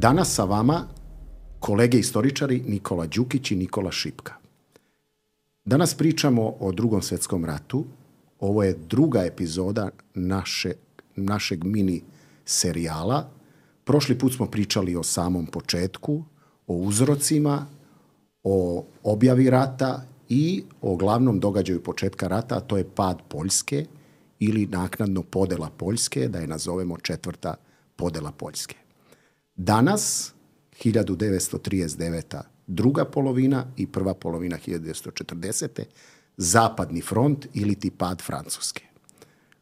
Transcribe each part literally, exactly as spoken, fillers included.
Danas sa vama kolege istoričari Nikola Đukić i Nikola Šipka. Danas pričamo o Drugom svjetskom ratu. Ovo je druga epizoda naše, našeg mini serijala. Prošli put smo pričali o samom početku, o uzrocima, o objavi rata i o glavnom događaju početka rata, a to je pad Poljske ili naknadno podela Poljske, da je nazovemo četvrta podela Poljske. Danas, hiljadu devetsto trideset deveta. druga polovina i prva polovina hiljadu devetsto četrdesete. Zapadni front ili ti pad Francuske.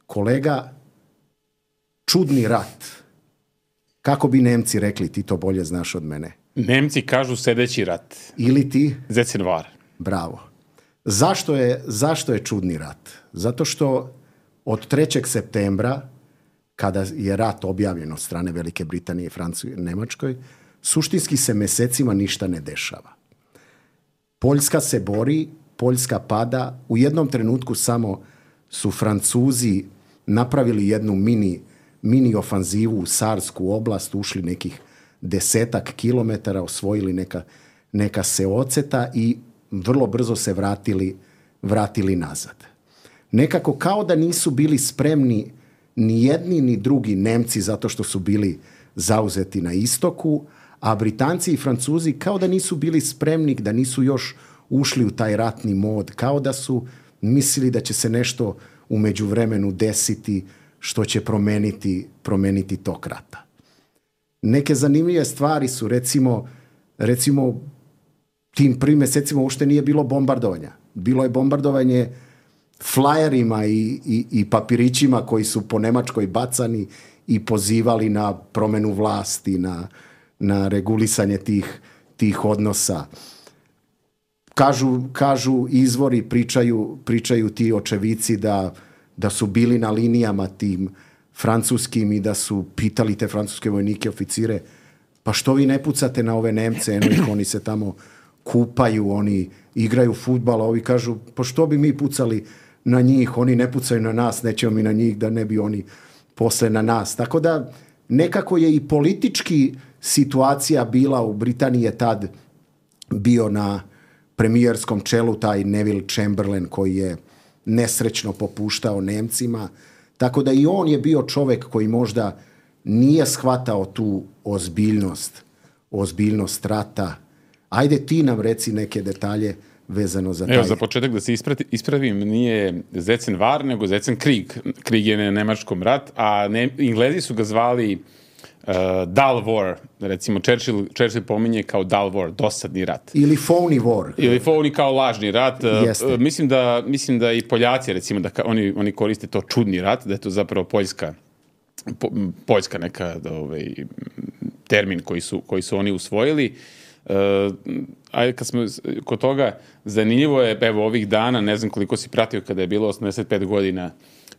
Kolega, čudni rat. Kako bi Nemci rekli, ti to bolje znaš od mene? Nemci kažu sedeći rat. Ili ti? Zecenvar. Bravo. Zašto je, zašto je čudni rat? Zato što od trećeg septembra, kada je rat objavljen od strane Velike Britanije, Francuske i Nemačkoj, suštinski se mesecima ništa ne dešava. Poljska se bori, Poljska pada. U jednom trenutku samo su Francuzi napravili jednu mini, mini ofanzivu u Sarsku oblast, ušli nekih desetak kilometara, osvojili neka, neka seoceta i vrlo brzo se vratili, vratili nazad. Nekako kao da nisu bili spremni ni jedni ni drugi Nemci zato što su bili zauzeti na istoku, a Britanci i Francuzi kao da nisu bili spremni, da nisu još ušli u taj ratni mod, kao da su mislili da će se nešto u međuvremenu desiti što će promeniti, promeniti tok rata. Neke zanimljive stvari su, recimo, recimo tim prvim mesecima uopšte nije bilo bombardovanja. Bilo je bombardovanje flajerima i, i, i papirićima koji su po Nemačkoj bacani i pozivali na promenu vlasti, na, na regulisanje tih, tih odnosa. Kažu, kažu izvori, pričaju, pričaju ti očevici da, da su bili na linijama tim francuskim i da su pitali te francuske vojnike, oficire, pa što vi ne pucate na ove Nemce, eno ih, oni se tamo kupaju, oni igraju fudbal, a ovi kažu, pa što bi mi pucali na njih, oni ne pucaju na nas, nećemo mi na njih, da ne bi oni posle na nas. Tako da nekako je i politički situacija bila u Britaniji, je tad bio na premijerskom čelu taj Neville Chamberlain koji je nesrećno popuštao Nemcima, tako da i on je bio čovek koji možda nije shvatao tu ozbiljnost, ozbiljnost rata. Ajde ti nam reci neke detalje vezano za taj... Evo, za početak da se isprati, ispravim, nije Zecenvar, nego Zecenkrieg. Krieg je na nemačkom rat, a ne, Englezi su ga zvali uh, dull war. Recimo, Churchill, Churchill pominje kao dull war, dosadni rat. Ili phony war. Ili phony kao lažni rat. Jeste. Mislim da, mislim da i Poljaci, recimo, da ka, oni, oni koriste to čudni rat, da je to zapravo poljska, po, poljska neka ovaj, termin koji su, koji su oni usvojili. Uh, ajde, kad smo kod toga, zanimljivo je, evo, ovih dana, ne znam koliko si pratio kada je bilo osamdeset pet godina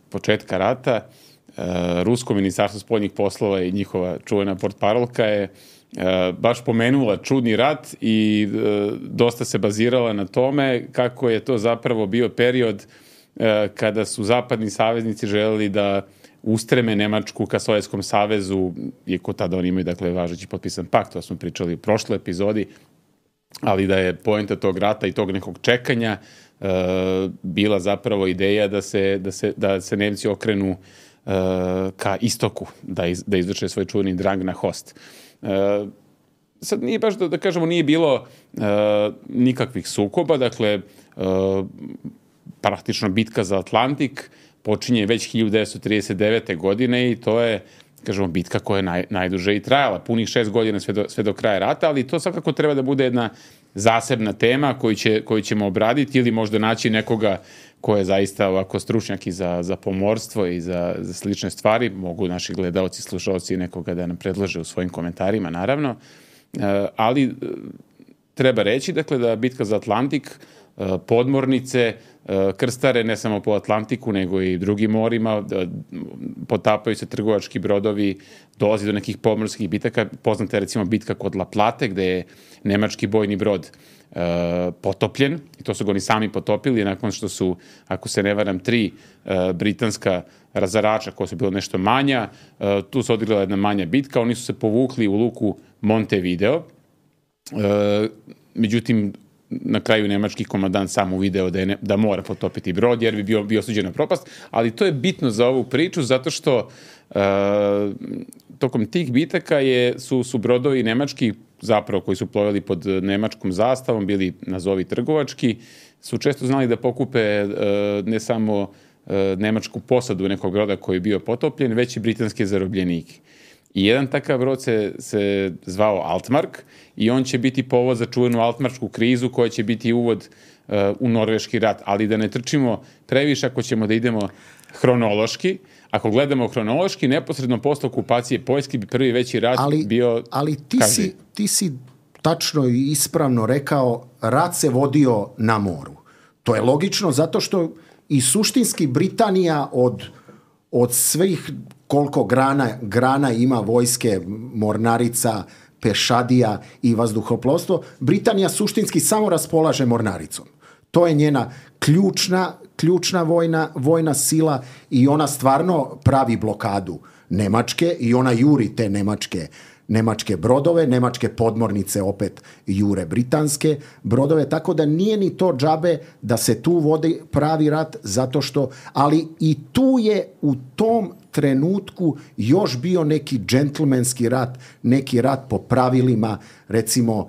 početka rata, uh, Rusko ministarstvo spoljnih poslova i njihova čuvena portparolka je uh, baš pomenula čudni rat i uh, dosta se bazirala na tome kako je to zapravo bio period uh, kada su zapadni saveznici želeli da ustreme Nemačku ka Sovjetskom savezu, iako tada oni imaju, dakle, važeći potpisan pakt, to smo pričali u prošloj epizodi, ali da je poenta tog rata i tog nekog čekanja uh, bila zapravo ideja da se, da se, da se Nemci okrenu uh, ka istoku, da, iz, da izvrše svoj čuveni drang na host. Uh, sad nije baš, da, da kažemo, nije bilo uh, nikakvih sukoba, dakle, uh, praktično bitka za Atlantik počinje već hiljadu devetsto trideset devete. godine i to je, kažemo, bitka koja je naj, najduže i trajala, punih šest godina sve do, sve do kraja rata, ali to svakako treba da bude jedna zasebna tema koju, će, koju ćemo obraditi ili možda naći nekoga ko je zaista ovako stručnjak i za, za pomorstvo i za, za slične stvari. Mogu naši gledaoci, slušaoci nekoga da nam predlože u svojim komentarima, naravno. E, ali e, treba reći, dakle, da bitka za Atlantik, e, podmornice, krstare ne samo po Atlantiku, nego i drugim morima, potapaju se trgovački brodovi, dolazi do nekih pomorskih bitaka. Poznata je recimo bitka kod La Plate, gde je nemački bojni brod uh, potopljen, i to su ga oni sami potopili, nakon što su, ako se ne varam, tri uh, britanska razarača koja su bila nešto manja, tu se odigrala jedna manja bitka, oni su se povukli u luku Montevideo, međutim, na kraju nemački komandant sam uvideo da, je ne, da mora potopiti brod jer bi bio, bio osuđen na propast, ali to je bitno za ovu priču zato što uh, tokom tih bitaka je, su, su brodovi nemački zapravo koji su plovili pod nemačkom zastavom, bili nazovi trgovački, su često znali da pokupe uh, ne samo uh, nemačku posadu nekog broda koji je bio potopljen, već i britanske zarobljenike. I jedan takav brod se, se zvao Altmark i on će biti povod za čuvenu Altmarksku krizu koja će biti uvod uh, u Norveški rat. Ali da ne trčimo previše ako ćemo da idemo hronološki. Ako gledamo hronološki, neposredno posle okupacije Poljske bi prvi veći rat ali, bio... Ali ti si, ti si tačno i ispravno rekao, rat se vodio na moru. To je logično zato što i suštinski Britanija od, od svih koliko grana, grana ima vojske, mornarica, pešadija i vazduhoplovstvo, Britanija suštinski samo raspolaže mornaricom. To je njena ključna, ključna vojna, vojna sila i ona stvarno pravi blokadu Nemačke i ona juri te nemačke, nemačke brodove, nemačke podmornice opet jure britanske brodove, tako da nije ni to džabe da se tu vodi pravi rat, zato što, ali i tu je u tom trenutku još bio neki džentlmenski rat, neki rat po pravilima, recimo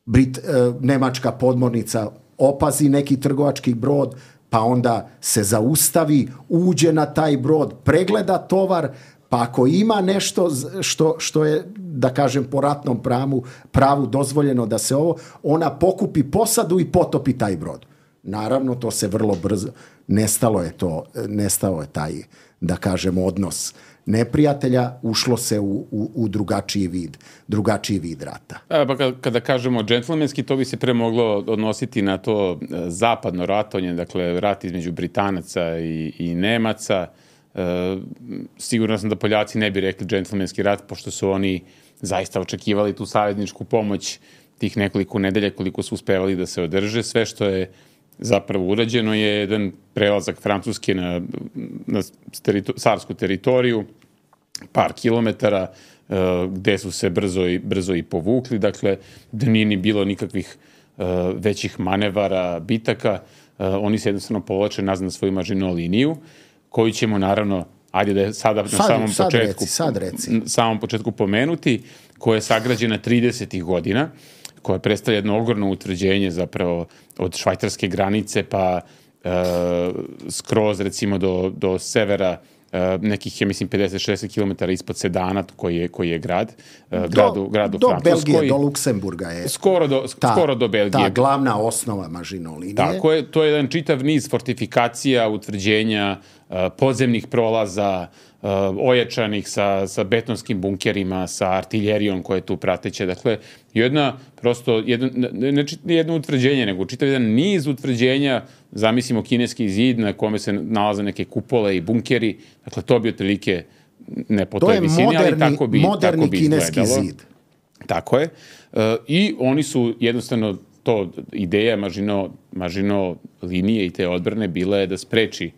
Brit, e, nemačka podmornica opazi neki trgovački brod, pa onda se zaustavi, uđe na taj brod, pregleda tovar, pa ako ima nešto što, što je, da kažem, po ratnom pravu, pravu dozvoljeno da se ovo, ona pokupi posadu i potopi taj brod. Naravno, to se vrlo brzo, nestalo je to, nestao je taj, da kažemo, odnos neprijatelja, ušlo se u, u, u drugačiji vid, drugačiji vid rata. A, pa kada, kada kažemo džentlmenski, to bi se pre moglo odnositi na to zapadno ratovanje, dakle rat između Britanaca i, i Nemaca. E, sigurno sam da Poljaci ne bi rekli džentlmenski rat, pošto su oni zaista očekivali tu savezničku pomoć tih nekoliko nedelja koliko su uspevali da se održe. Sve što je zapravo urađeno je jedan prelazak Francuske na, na terito, carsku teritoriju, par kilometara, uh, gde su se brzo i, brzo i povukli, dakle, da nije ni bilo nikakvih uh, većih manevara, bitaka, uh, oni se jednostavno povlače nazad na svoju Maginot liniju, koju ćemo naravno, ajde da je sada sad, na samom sad početku, reci, sad reci. samom početku pomenuti, koja je sagrađena tridesetih godina, koja predstavlja jedno ogromno utvrđenje zapravo od švajcarske granice pa e, skroz recimo do, do severa e, nekih, ja mislim, pedeset šezdeset kilometara ispod Sedana, koji je, koji je grad, e, gradu, gradu do Francuskoj. Belgije, do Luksemburga je. Skoro do, ta, skoro do Belgije. Ta glavna osnova Maginot linije. Tako je, to je jedan čitav niz fortifikacija, utvrđenja, e, podzemnih prolaza, Uh, ojačanih sa, sa betonskim bunkerima, sa artiljerijom koja je tu prateća. Dakle, jedna, prosto, jedno, ne, ne jedno utvrđenje, nego čitav jedan niz utvrđenja, zamislimo kineski zid na kome se nalaze neke kupole i bunkeri. Dakle, to bi otprilike ne po toj visini, moderni, ali tako bi, moderni tako bi kineski izgledalo. Zid. Tako je. Uh, I oni su jednostavno, to ideja Maginot, Maginot linije i te odbrane bila je da spreči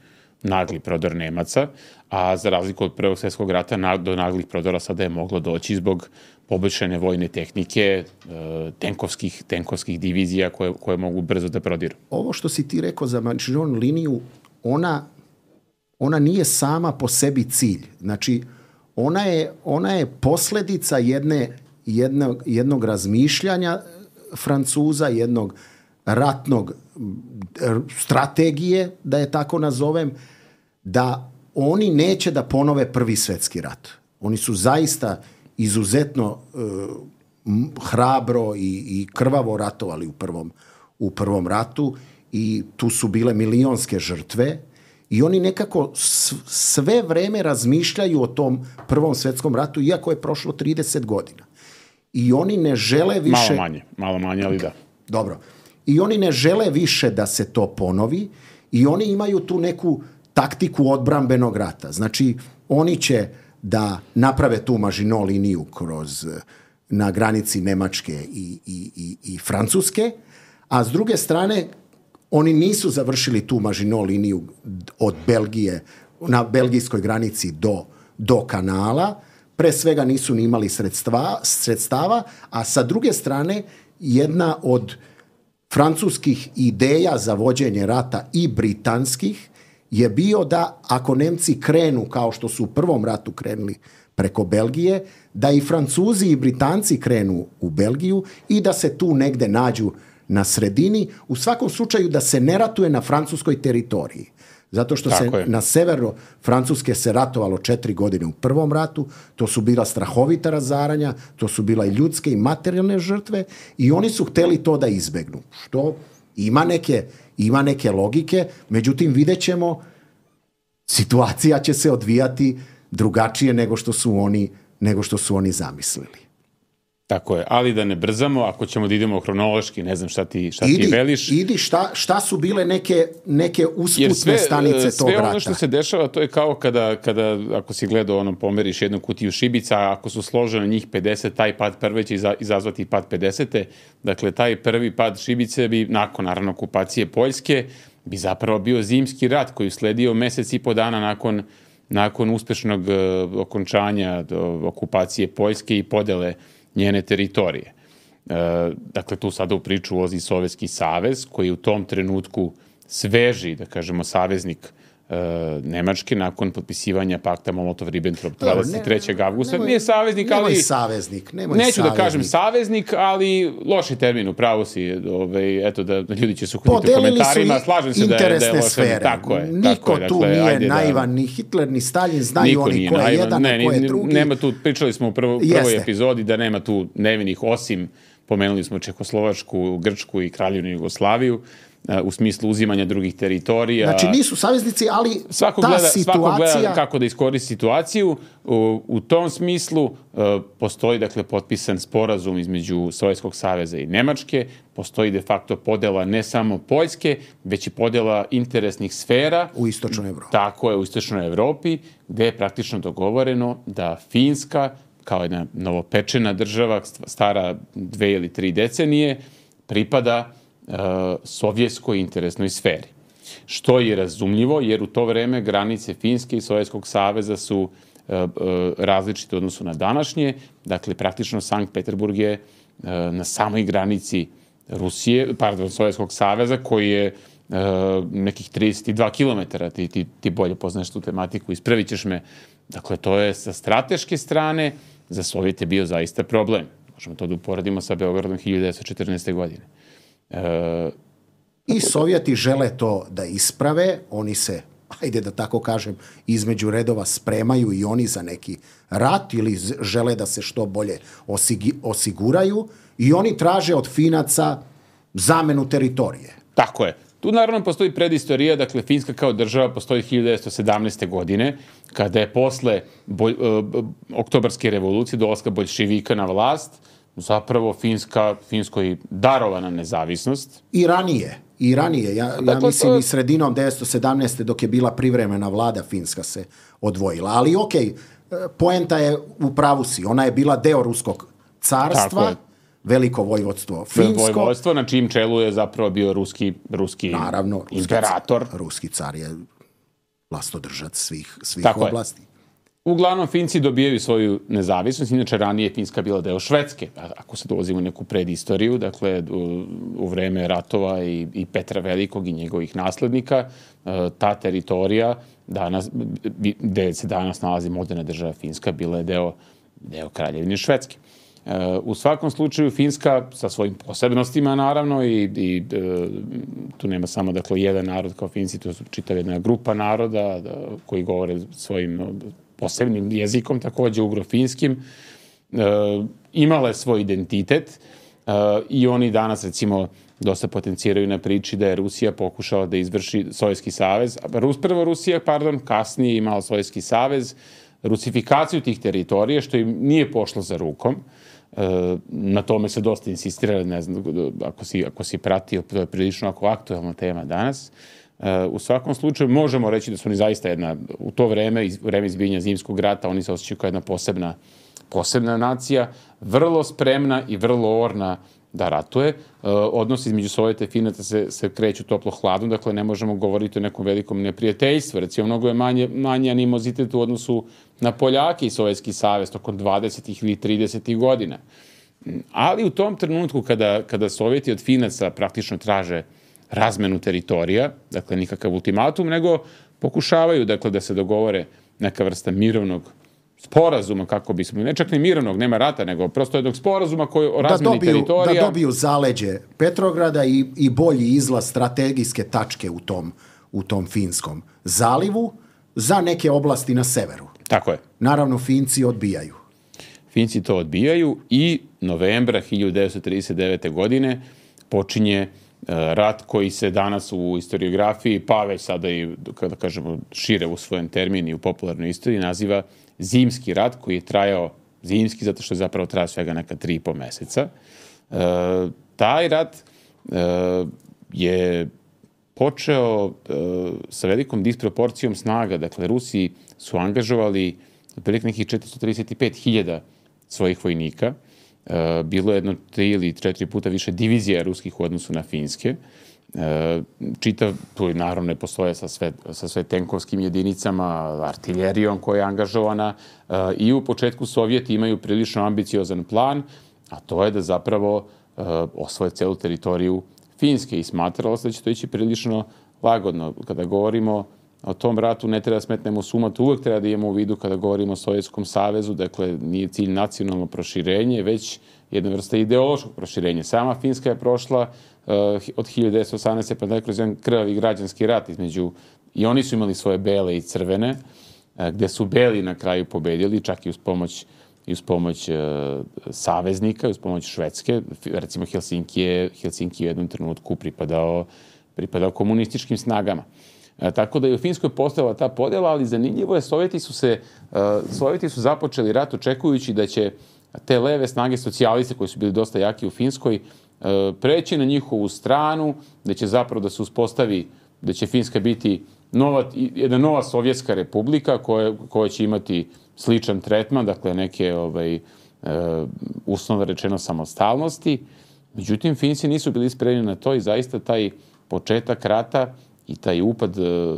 nagli prodor Nemaca, a za razliku od Prvog svjetskog rata do naglih prodora sada je moglo doći zbog poboljšane vojne tehnike, tenkovskih, tenkovskih divizija koje, koje mogu brzo da prodiru. Ovo što si ti rekao za Maginot liniju, ona, ona nije sama po sebi cilj. Znači, ona je, ona je posljedica jedne, jednog, jednog razmišljanja Francuza, jednog ratnog strategije, da je tako nazovem, da oni neće da ponove Prvi svjetski rat. Oni su zaista izuzetno uh, hrabro i, i krvavo ratovali u prvom, u prvom ratu i tu su bile milionske žrtve i oni nekako sve vreme razmišljaju o tom Prvom svjetskom ratu, iako je prošlo trideset godina. I oni ne žele više... Malo manje, malo manje, ali da. Dobro. I oni ne žele više da se to ponovi i oni imaju tu neku taktiku odbrambenog rata. Znači, oni će da naprave tu Maginot liniju kroz, na granici Nemačke i, i, i, i Francuske, a s druge strane, oni nisu završili tu Maginot liniju od Belgije na belgijskoj granici do, do kanala, pre svega nisu ni imali sredstva, sredstava, a sa druge strane jedna od francuskih ideja za vođenje rata i britanskih je bio da ako Nemci krenu kao što su u prvom ratu krenuli preko Belgije, da i Francuzi i Britanci krenu u Belgiju i da se tu negde nađu na sredini, u svakom slučaju da se ne ratuje na francuskoj teritoriji. Zato što Tako se je. na severu Francuske se ratovalo četiri godine u prvom ratu, to su bila strahovita razaranja, to su bila i ljudske i materijalne žrtve i oni su hteli to da izbegnu. Što ima neke, ima neke logike, međutim vidjet ćemo, situacija će se odvijati drugačije nego što su oni, nego što su oni zamislili. Tako je, ali da ne brzamo, ako ćemo da idemo hronološki, ne znam šta ti, šta idi, ti veliš. Idi, šta, šta su bile neke, neke usputne sve, stanice tog rata? Sve ono što se dešava, to je kao kada, kada ako si gledao, ono, pomeriš jednu kutiju šibica, a ako su složene njih pedeset, taj pad prve će izazvati pad pedesete. Dakle, taj prvi pad šibice bi, nakon, naravno, okupacije Poljske, bi zapravo bio zimski rat koji sledio mesec i po dana nakon, nakon uspešnog uh, okončanja uh, okupacije Poljske i podele njene teritorije. E, dakle, tu sada u priču ulazi Sovjetski savez, koji u tom trenutku sveži, da kažemo, saveznik e, Nemačke nakon potpisivanja pakta Molotov-Ribbentrop dvadeset trećeg avgusta. Nemoj, Nije saveznik, nemoj ali... saveznik, nemoj neću saveznik. da kažem saveznik, ali loši termin, u pravu si. Ove, eto, da, da ljudi će se uhvatiti u Podelili komentarima. su Slažem se da je, da je loše. sfere. Tako je. Niko tako je, tu dakle, nije ajde naivan, da, ni Hitler, ni Stalin, znaju niko oni ko je naivan. jedan, ne, a ko je ni, drugi. Nema tu, pričali smo u prvo, prvoj Jeste. epizodi da nema tu nevinih, osim pomenuli smo Čehoslovačku, Grčku i Kraljevinu Jugoslaviju u smislu uzimanja drugih teritorija. Znači nisu saveznici, ali svako ta gleda, situacija... Svako gleda kako da iskoristi situaciju. U, u tom smislu uh, postoji, dakle, potpisan sporazum između Sovjetskog saveza i Nemačke, postoji de facto podela ne samo Poljske, već i podela interesnih sfera. U istočnoj Evropi. Tako je, u istočnoj Evropi, gde je praktično dogovoreno da Finska, kao jedna novopečena država, stara dve ili tri decenije, pripada uh, sovjetskoj interesnoj sferi. Što je razumljivo, jer u to vreme granice Finske i Sovjetskog saveza su uh, uh, različite u odnosu na današnje. Dakle, praktično Sankt Peterburg je uh, na samoj granici Rusije, pardon, Sovjetskog saveza, koji je uh, nekih trideset dva kilometara. Ti, ti, ti bolje poznaš tu tematiku, ispravit ćeš me. Dakle, to je sa strateške strane za Sovjet je bio zaista problem. Možemo to da uporedimo sa Beogradom hiljadu devetsto četrnaeste. godine. E, I Sovjeti žele to da isprave, oni se, ajde da tako kažem, između redova spremaju i oni za neki rat ili žele da se što bolje osigi, osiguraju i oni traže od Finaca zamenu teritorije. Tako je. Tu naravno postoji predistorija, dakle Finska kao država postoji hiljadu devetsto sedamnaeste. godine, kada je posle bolj, uh, oktobarske revolucije, dolaska boljševika na vlast, zapravo Finska, Finskoj darovana nezavisnost. I ranije, i ranije. Ja, dakle, ja mislim to... i sredinom devetsto sedamnaeste. dok je bila privremena vlada, Finska se odvojila. Ali okej, okay, poenta je u pravu si. Ona je bila deo Ruskog carstva, veliko vojvodstvo Finsko. Vojvodstvo na čijim čelu je zapravo bio ruski, ruski Naravno, ruski imperator. Car, ruski car je vlastodržac svih, svih Tako oblasti. Je. Uglavnom, Finci dobijaju svoju nezavisnost, inače ranije je Finska bila deo Švedske, ako se dolazimo u neku predistoriju, dakle u, u vreme ratova i, i Petra Velikog i njegovih naslednika, ta teritorija, danas, gde se danas nalazi moderna država Finska, bila je deo, deo Kraljevine Švedske. U svakom slučaju Finska sa svojim posebnostima naravno i, i tu nema samo dakle jedan narod kao Finci, tu su čitava jedna grupa naroda da, koji govore svojim posebnim jezikom, takođe ugro-finskim, e, imala je svoj identitet e, i oni danas recimo dosta potenciraju na priči da je Rusija pokušala da izvrši Sovjetski savez, Rus, prvo Rusija, pardon, kasnije imala Sovjetski savez, rusifikaciju tih teritorija, što im nije pošlo za rukom. E, na tome se dosta insistira, ne znam, ako si, ako si pratio, to je prilično ako aktualna tema danas. E, u svakom slučaju možemo reći da su oni zaista jedna, u to vreme, iz, vreme izbijanja zimskog rata, oni se osjećaju kao jedna posebna, posebna nacija, vrlo spremna i vrlo orna da ratuje. Odnosi između Sovjeta i Finaca se, se kreću toplo-hladno, dakle ne možemo govoriti o nekom velikom neprijateljstvu. Recimo, mnogo je manje, manje animozitet u odnosu na Poljake i Sovjetski savez tokom dvadesetih ili tridesetih godina. Ali u tom trenutku kada, kada Sovjeti od Finaca praktično traže razmenu teritorija, dakle nikakav ultimatum, nego pokušavaju dakle, da se dogovore neka vrsta mirovnog sporazuma, kako bismo, ne čak ni mirovnog, nema rata, nego prosto jednog sporazuma koji o razmeni da dobiju, teritorija. Da dobiju zaleđe Petrograda i, i bolji izlaz strategijske tačke u tom, u tom Finskom zalivu za neke oblasti na severu. Tako je. Naravno, Finci odbijaju. Finci to odbijaju i novembra hiljadu devetsto trideset devete. godine počinje rat koji se danas u historiografiji, pa već sada i, kada kažemo, šire u svojem termini i u popularnoj istoriji, naziva Zimski rat, koji je trajao zimski zato što je zapravo trajao svega neka tri i po meseca. E, taj rat e, je počeo e, sa velikom disproporcijom snaga. Dakle, Rusi su angažovali otprilike nekih četiristo trideset pet hiljada svojih vojnika. E, bilo je jedno tri ili četiri puta više divizija ruskih u odnosu na finske. E, čitav, tu je naravno ne postoje sa sve, sa sve tenkovskim jedinicama, artiljerijom koja je angažovana e, i u početku Sovjeti imaju prilično ambiciozan plan, a to je da zapravo e, osvoje celu teritoriju Finske i smatralo se da će to ići prilično lagodno. Kada govorimo o tom ratu ne treba da smetnemo suma, to uvek treba da imamo u vidu kada govorimo o Sovjetskom savezu, dakle nije cilj nacionalno proširenje, već jedna vrsta ideološkog proširenja. Sama Finska je prošla uh, od hiljadu devetsto osamnaeste. pa kroz jedan krvavi građanski rat između, i oni su imali svoje bele i crvene, uh, gde su beli na kraju pobedili, čak i uz pomoć i uz pomoć uh, saveznika, uz pomoć Švedske. Recimo Helsinki je, Helsinki je u jednom trenutku pripadao, pripadao komunističkim snagama. E, tako da je u Finskoj postojala ta podjela, ali zanimljivo je, Sovjeti su, se, uh, Sovjeti su započeli rat očekujući da će te leve snage socijaliste koji su bili dosta jaki u Finskoj uh, preći na njihovu stranu, da će zapravo da se uspostavi, da će Finska biti nova, jedna nova sovjetska republika koja, koja će imati sličan tretman, dakle neke ovaj, uh, uslovno rečeno samostalnosti. Međutim, Finci nisu bili spremni na to i zaista taj početak rata i taj upad uh,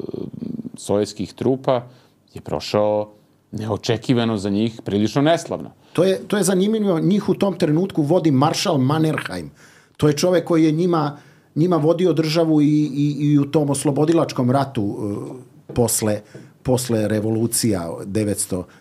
sovjetskih trupa je prošao neočekivano za njih, prilično neslavno. To je, to je zanimljivo, njih u tom trenutku vodi maršal Mannerheim. To je čovjek koji je njima, njima vodio državu i, i, i u tom oslobodilačkom ratu uh, posle, posle revolucija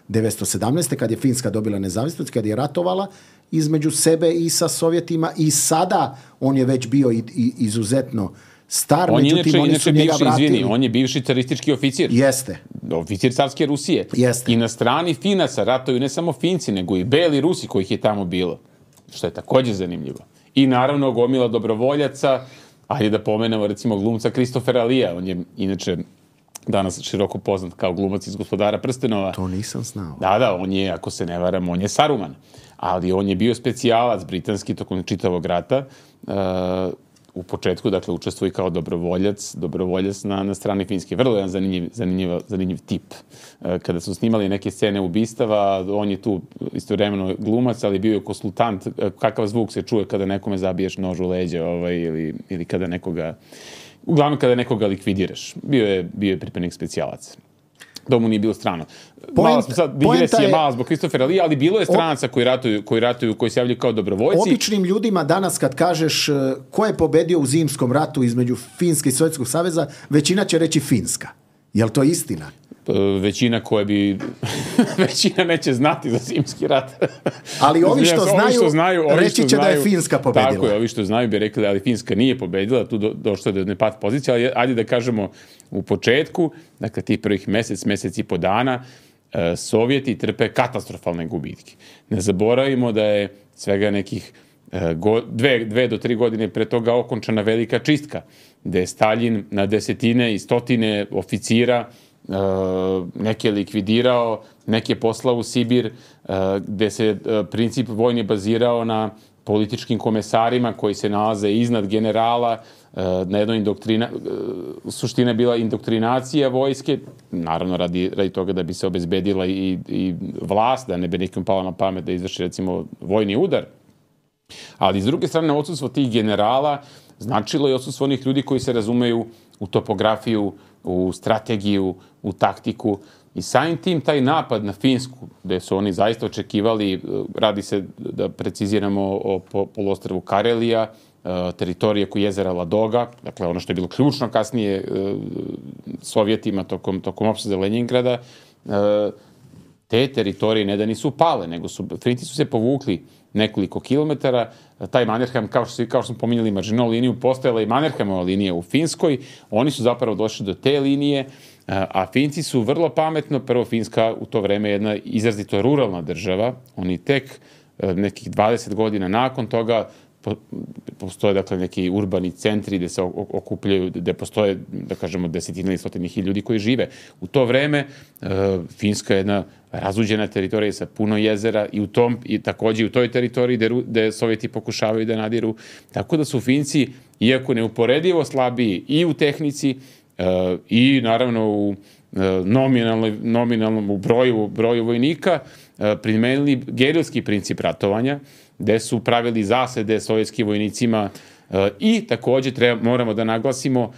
devetsto sedamnaeste. kad je Finska dobila nezavisnost, kad je ratovala između sebe i sa Sovjetima, i sada on je već bio i, i, izuzetno star, on međutim inače, oni inače su njega bivši, vratili. Izvini, on je bivši caristički oficir. Jeste. Oficir carske Rusije. Jeste. I na strani Finaca ratuju ne samo Finci, nego i beli Rusi kojih je tamo bilo. Što je također zanimljivo. I naravno gomila dobrovoljaca, ajde da pomenemo recimo glumca Kristofera Lija. On je inače danas široko poznat kao glumac iz Gospodara prstenova. To nisam znao. Da, da, on je, ako se ne varam, on je Saruman. Ali on je bio specijalac britanski tokom čitavog rata. Uh, u početku, dakle, učestvuje kao dobrovoljac, dobrovoljac na, na strani Finske. Vrlo jedan zanimljiv, zanimljiv, zanimljiv tip. Uh, kada su snimali neke scene ubistava, on je tu istovremeno glumac, ali bio je konsultant, kakav zvuk se čuje kada nekome zabiješ nož u leđa, ovaj, ili, ili kada nekoga, uglavnom kada nekoga likvidiraš. Bio je, bio je pripadnik specijalac. To mu nije bilo strano. Malo smo sad, digresija je mala zbog Kristofera Lija, ali bilo je stranaca koji ratuju, koji ratuju, koji se javljaju kao dobrovoljci. Običnim ljudima danas kad kažeš ko je pobedio u zimskom ratu između Finske i Sovjetskog saveza, većina će reći Finska. Je li to istina? Većina koje bi... većina neće znati za zimski rat. Ali ovi što znaju, ovi što znaju ovi reći će znaju, da je Finska pobedila. Tako je, ovi što znaju bi rekli, ali Finska nije pobedila, tu do, došlo je do jedne pat pozicije, ali ajde da kažemo u početku, dakle tih prvih mesec, mesec i po dana, e, Sovjeti trpe katastrofalne gubitke. Ne zaboravimo da je svega nekih e, go, dve, dve do tri godine pre toga okončana velika čistka, gde je Staljin na desetine i stotine oficira Uh, neke likvidirao, neke poslao u Sibir, uh, gde se uh, princip vojni bazirao na političkim komesarima koji se nalaze iznad generala, uh, na jednoj indoktrina, uh, suština je bila indoktrinacija vojske, naravno radi, radi toga da bi se obezbedila i, i vlast, da ne bi nekom pala na pamet da izvrši recimo vojni udar. Ali s druge strane, odsustvo tih generala značilo je odsustvo onih ljudi koji se razumeju u topografiju, u strategiju, u taktiku. I samim tim taj napad na Finsku, gde su oni zaista očekivali, radi se da preciziramo o poluostrvu Karelija, teritorije oko jezera Ladoga, dakle ono što je bilo ključno kasnije Sovjetima tokom, tokom opsade Leningrada, te teritorije ne da nisu pale, nego su, Finci su se povukli nekoliko kilometara. Taj Mannerheim, kao što, kao što smo pominjali Maginot liniju, postojala i Mannerheimova linija u Finskoj. Oni su zapravo došli do te linije, a Finci su vrlo pametno, prvo Finska u to vreme jedna izrazito ruralna država, oni tek nekih dvadeset godina nakon toga postoje dakle neki urbani centri gde se okupljaju, gde postoje, da kažemo, desetine ili stotine hiljada ljudi koji žive. U to vreme Finska je jedna razuđena teritorija sa puno jezera i u tom, i takođe u toj teritoriji gde, gde Sovjeti pokušavaju da nadiru. Tako da su Finci, iako neuporedivo slabiji i u tehnici i naravno u nominalnom u broju, broju vojnika, primenili gerilski princip ratovanja, gde su pravili zasede sovjetskim vojnicima i takođe treba, moramo da naglasimo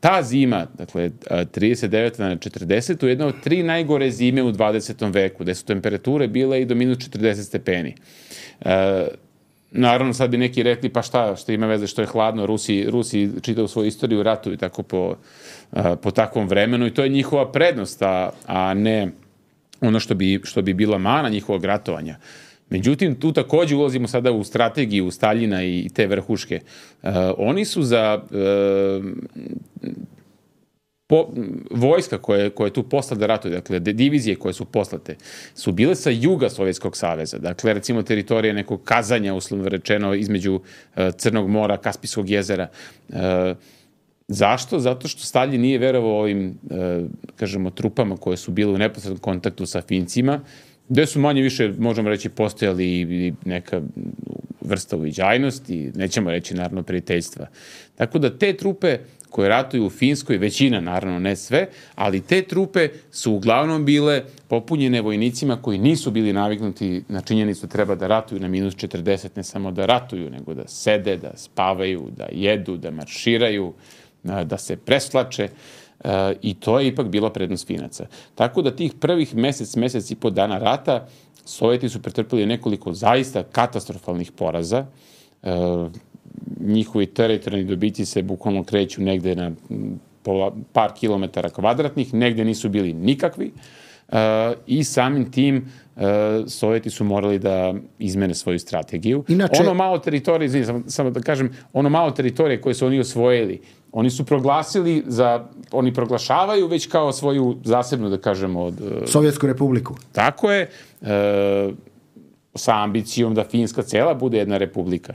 ta zima, dakle trideset devete na četrdeset, je jedna od tri najgore zime u dvadesetom veku, gde su temperature bile i do minus četrdeset stepeni. Naravno, sad bi neki rekli, pa šta, što ima veze što je hladno, Rusi, Rusi čitaju svoju istoriju, ratuju tako po, po takvom vremenu i to je njihova prednost, a, a ne ono što bi, što bi bila mana njihovog ratovanja. Međutim, tu takođe ulazimo sada u strategiju Staljina i te vrhuške. Uh, oni su za uh, po, vojska koje, koje tu posla da ratuje, dakle, divizije koje su poslate, su bile sa juga Sovjetskog saveza. Dakle, recimo, teritorija nekog Kazanja, uslovno rečeno, između uh, Crnog mora, Kaspijskog jezera. Uh, Zašto? Zato što Stalin nije verovao ovim, uh, kažemo, trupama koje su bile u neposrednom kontaktu sa Fincima, gde su manje više, možemo reći, postojali i neka vrsta uviđajnosti, nećemo reći, naravno, prijateljstva. Tako da te trupe koje ratuju u Finskoj, većina, naravno, ne sve, ali te trupe su uglavnom bile popunjene vojnicima koji nisu bili naviknuti na činjenicu da treba da ratuju na minus četrdeset, ne samo da ratuju, nego da sede, da spavaju, da jedu, da marširaju, da se preslače. Uh, i to je ipak bila prednost Finaca. Tako da tih prvih mesec, mesec i po dana rata Sovjeti su pretrpili nekoliko zaista katastrofalnih poraza. Uh, njihovi teritorijalni dobici se bukvalno kreću negde na pola, par kilometara kvadratnih, negde nisu bili nikakvi uh, i samim tim uh, Sovjeti su morali da izmene svoju strategiju. Inače, ono malo teritorije, znači, samo, samo da kažem, ono malo teritorije koje su oni osvojili, oni su proglasili za, oni proglašavaju već kao svoju zasebnu, da kažemo, od... Sovjetsku republiku. Tako je, e, sa ambicijom da Finska cela bude jedna republika.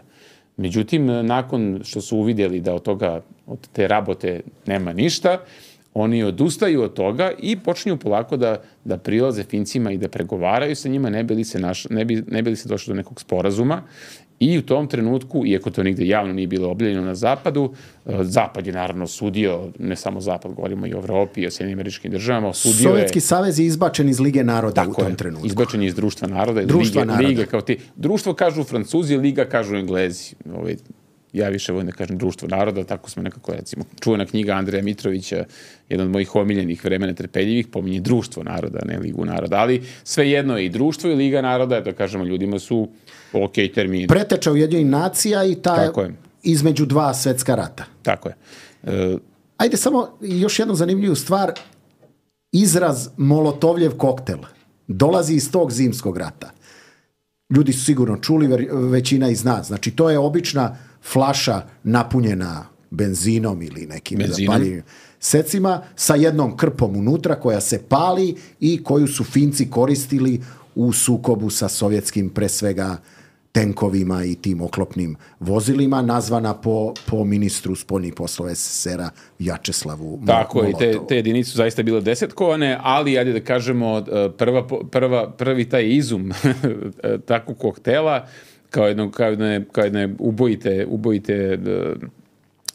Međutim, nakon što su uvidjeli da od toga, od te rabote nema ništa, oni odustaju od toga i počinju polako da, da prilaze Fincima i da pregovaraju sa njima, ne bi li se, naš, ne bi, ne bi li se došlo do nekog sporazuma. I u tom trenutku, iako to nigde javno nije bilo objavljeno na Zapadu, Zapad je naravno osudio, ne samo Zapad, govorimo i o Evropi i o Sjedinjenim Američkim Državama, osudio Sovjetski je... savez je izbačen iz Lige naroda tako u tom je, trenutku. Izbačen je iz Društva naroda. Društva Lige, naroda. Liga kao ti. Društvo kažu Francuzi, Liga kažu Englezi. Ovaj, ja više volim da kažem Društvo naroda, tako smo nekako, recimo, čuvena knjiga Andreja Mitrovića, jedan od mojih omiljenih vremena trpeljivih, pominje Društvo naroda, ne Ligu naroda, ali svejedno je i Društvo i Liga naroda, da kažemo, ljudima su ok termini. Preteča Ujedinjenih nacija i ta između dva svetska rata. Tako je. E... Ajde, samo još jednu zanimljivu stvar. Izraz Molotovljev koktel dolazi iz tog zimskog rata. Ljudi su sigurno čuli, većina i zna. Znači, to je obična flaša napunjena benzinom ili nekim zapaljivim secima sa jednom krpom unutra koja se pali i koju su Finci koristili u sukobu sa sovjetskim, pre svega, tenkovima i tim oklopnim vozilima, nazvana po, po ministru spoljnih poslova es es es er-a Vjačeslavu Molotovu. Tako je, te, te jedinice su zaista bile desetkovane, ali, ajde da kažemo, prva, prva, prvi taj izum takvog koktela, kao jedno, kao jedne, kao jedne ubojite, ubojite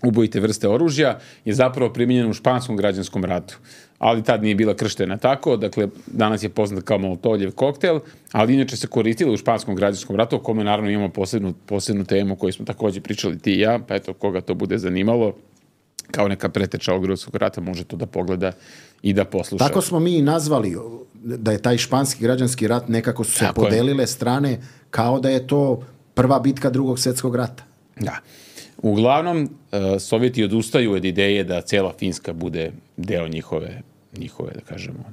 ubojite vrste oružja, je zapravo primijenjena u španskom građanskom ratu. Ali tad nije bila krštena tako, dakle danas je poznat kao Molotovljev koktel, ali inače se koristila u španskom građanskom ratu, o kome naravno imamo posebnu, posebnu temu koju smo također pričali ti i ja, pa eto koga to bude zanimalo, kao neka preteča ovog Drugog svjetskog rata, može to da pogleda i da posluša. Tako smo mi i nazvali da je taj španski građanski rat, nekako su se tako podelile je. strane kao da je to prva bitka Drugog svjetskog rata. Da. Uglavnom, Sovjeti odustaju od ideje da cijela Finska bude deo njihove, njihove da kažemo,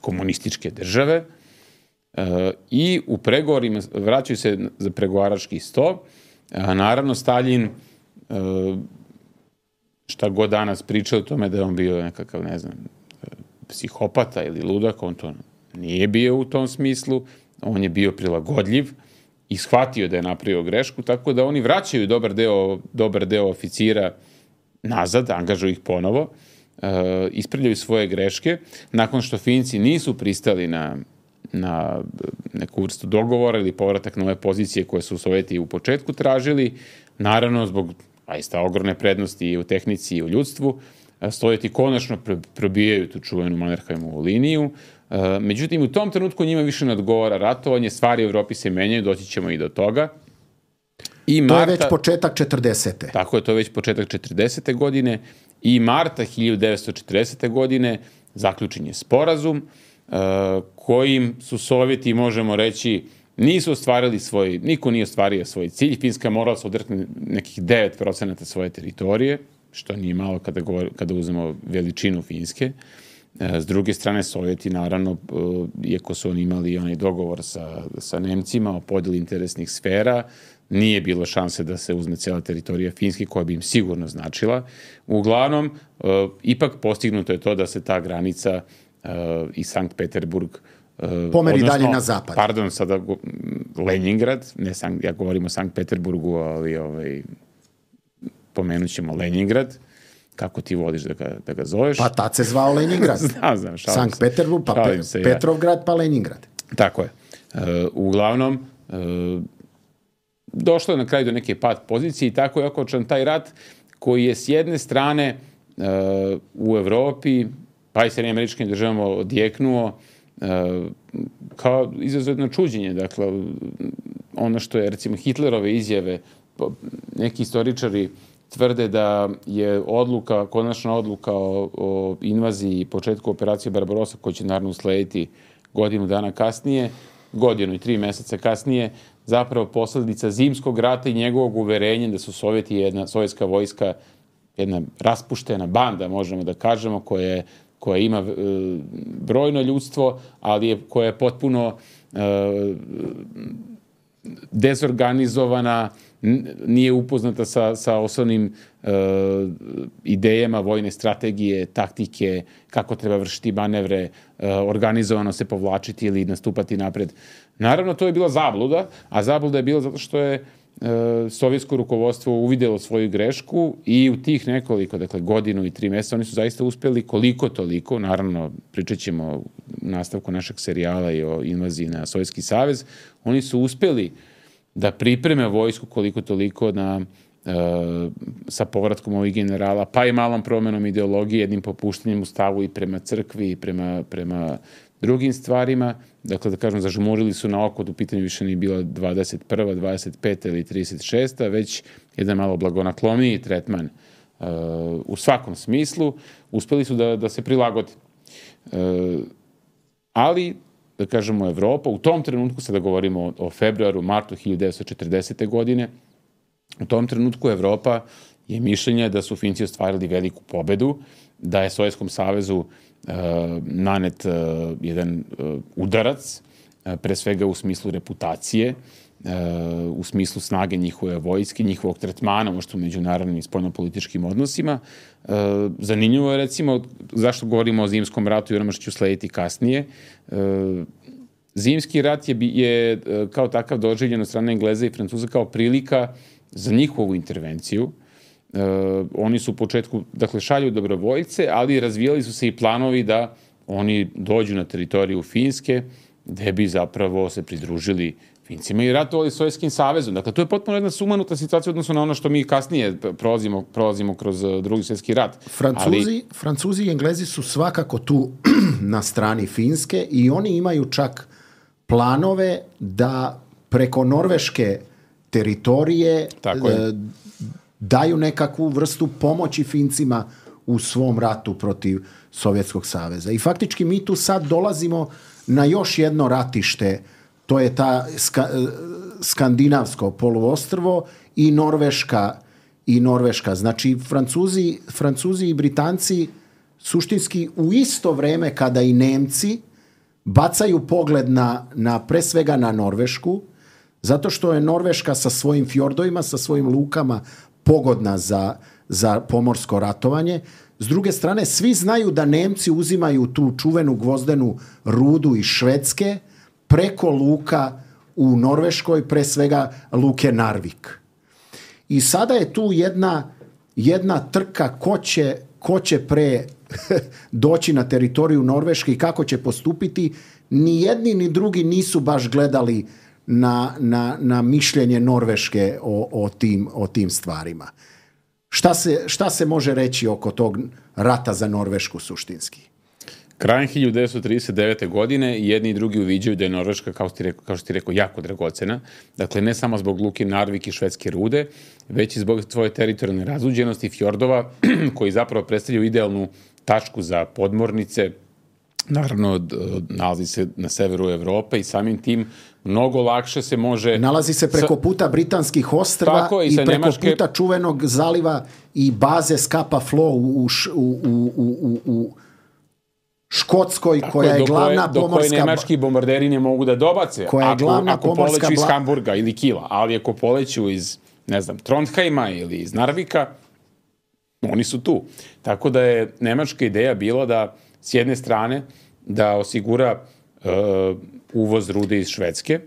komunističke države i u pregovorima vraćaju se za pregovarački sto. A naravno, Staljin, šta god danas priča o tome da je on bio nekakav, ne znam, psihopata ili ludak, on to nije bio u tom smislu, on je bio prilagodljiv i shvatio da je napravio grešku, tako da oni vraćaju dobar deo, dobar deo oficira nazad, angažuju ih ponovo, uh, ispravljaju svoje greške, nakon što Finci nisu pristali na, na neku vrstu dogovora ili povratak na ove pozicije koje su Sovjeti u početku tražili, naravno zbog zaista ogromne prednosti i u tehnici i u ljudstvu, Sovjeti konačno probijaju tu čuvenu Mannerheimovu liniju. Međutim, u tom trenutku njima više ne odgovara ratovanje, stvari u Evropi se menjaju, doći ćemo i do toga. I Marta, to je već početak četrdesete. Tako je, to je već početak četrdesete godine i marta hiljadu devetsto četrdesete godine zaključen je sporazum kojim su Sovjeti, možemo reći, nisu ostvarili svoj, niko nije ostvario svoj cilj. Finska morala se odrekne nekih devet procenata svoje teritorije, što nije malo kada, govor, kada uzmemo veličinu Finske. S druge strane, Sovjeti, naravno, iako su oni imali onaj dogovor sa, sa Nemcima o podjeli interesnih sfera, nije bilo šanse da se uzme cijela teritorija Finske, koja bi im sigurno značila. Uglavnom, ipak postignuto je to da se ta granica i Sankt Peterburg pomeri dalje na zapad. Pardon, sada Leningrad, ne Sankt, ja govorim o Sankt Peterburgu, ali ovaj, pomenut ćemo Leningrad, kako ti voliš da ga, da ga zoveš. Pa tad se zvao Leningrad. znam, znam, šalim Sankt Peterburg, pa Pe- se, Petrovgrad, pa Leningrad. Tako je. Uh, uglavnom, uh, došlo je na kraju do neke pad pozicije i tako je okončan taj rat koji je s jedne strane uh, u Evropi, pa i Sjedinjenim Američkim Državama odjeknuo uh, kao izuzetno čuđenje. Dakle, ono što je, recimo, Hitlerove izjave, neki istoričari tvrde da je odluka, konačna odluka o, o invaziji i početku operacije Barbarossa, koja će naravno uslediti godinu dana kasnije, godinu i tri meseca kasnije, zapravo posljedica zimskog rata i njegovog uverenja da su Sovjeti jedna, sovjetska vojska, jedna raspuštena banda, možemo da kažemo, koja, je, koja ima e, brojno ljudstvo, ali je, koja je potpuno e, dezorganizovana, nije upoznata sa, sa osnovnim e, idejama vojne strategije, taktike, kako treba vršiti manevre, e, organizovano se povlačiti ili nastupati napred. Naravno, to je bila zabluda, a zabluda je bila zato što je e, sovjetsko rukovodstvo uvidjelo svoju grešku i u tih nekoliko, dakle godinu i tri mjeseca, oni su zaista uspjeli koliko toliko, naravno pričat ćemo u nastavku našeg serijala i o invaziji na Sovjetski savez, oni su uspjeli da pripreme vojsku koliko toliko na, e, sa povratkom ovih generala, pa i malom promjenom ideologije, jednim popuštenjem u stavu i prema crkvi i prema, prema drugim stvarima. Dakle, da kažem, zažmurili su na oko, u pitanju više nije bila dvadeset prva, dvadeset peta ili trideset šesta, već jedan malo blagonakloniji tretman e, u svakom smislu. Uspjeli su da, da se prilagode. E, ali da kažemo Evropa, u tom trenutku, sada govorimo o, o februaru, martu hiljadu devetsto četrdesete godine, u tom trenutku Evropa je mišljenje da su Finci ostvarili veliku pobedu, da je Sovjetskom savezu e, nanet e, jedan e, udarac, e, pre svega u smislu reputacije, e, u smislu snage njihove vojske, njihovog tretmana, možda u međunarodnim i spoljnopolitičkim odnosima. E, zanimljivo je, recimo, zašto govorimo o zimskom ratu i onome što ću slediti kasnije. E, zimski rat je, je kao takav doživljen od strane Engleza i Francuza kao prilika za njihovu intervenciju. E, oni su u početku, dakle, šalju dobrovoljce, ali razvijali su se i planovi da oni dođu na teritoriju Finske, gde bi zapravo se pridružili Finci imaju ratovali s Sovjetskim savezom. Dakle, to je potpuno jedna sumanuta situacija odnosno na ono što mi kasnije prolazimo, prolazimo kroz drugi svjetski rat. Francuzi, Ali... Francuzi i Englezi su svakako tu na strani Finske i oni imaju čak planove da preko norveške teritorije e, daju nekakvu vrstu pomoći Fincima u svom ratu protiv Sovjetskog saveza. I faktički mi tu sad dolazimo na još jedno ratište, to je ta ska, skandinavsko poluostrvo i Norveška i Norveška. Znači Francuzi, Francuzi i Britanci suštinski u isto vrijeme kada i Nemci bacaju pogled na, na pre svega na Norvešku, zato što je Norveška sa svojim fjordovima, sa svojim lukama pogodna za, za pomorsko ratovanje. S druge strane, svi znaju da Nemci uzimaju tu čuvenu gvozdenu rudu iz Švedske preko luka u Norveškoj, pre svega luke Narvik. I sada je tu jedna, jedna trka ko će, ko će pre doći na teritoriju Norveške i kako će postupiti. Ni jedni ni drugi nisu baš gledali na, na, na mišljenje Norveške o, o, tim, o tim stvarima. Šta se, šta se može reći oko tog rata za Norvešku suštinski? Krajem hiljadu devetsto trideset devete. godine jedni i drugi uviđaju da je Norveška, kao što ti rekao, kao što ti rekao, jako dragocena. Dakle, ne samo zbog luke Narvik i švedske rude, već i zbog svoje teritorijalne razuđenosti i fjordova, koji zapravo predstavljaju idealnu tačku za podmornice. Naravno, nalazi se na severu Evrope i samim tim mnogo lakše se može... Nalazi se preko puta Britanskih ostrva i, i preko Nemačke... puta čuvenog zaliva i baze Scapa Flow u, u, u, u, u Škotskoj, tako koja je glavna koje, pomorska... Do koje nemački bombarderi ne mogu da dobace, koja je ako, glavna ako pomorska poleću iz bla... Hamburga ili Kila, ali ako poleću iz, ne znam, Trondheima ili iz Narvika, oni su tu. Tako da je nemačka ideja bila da, s jedne strane, da osigura uh, uvoz rude iz Švedske,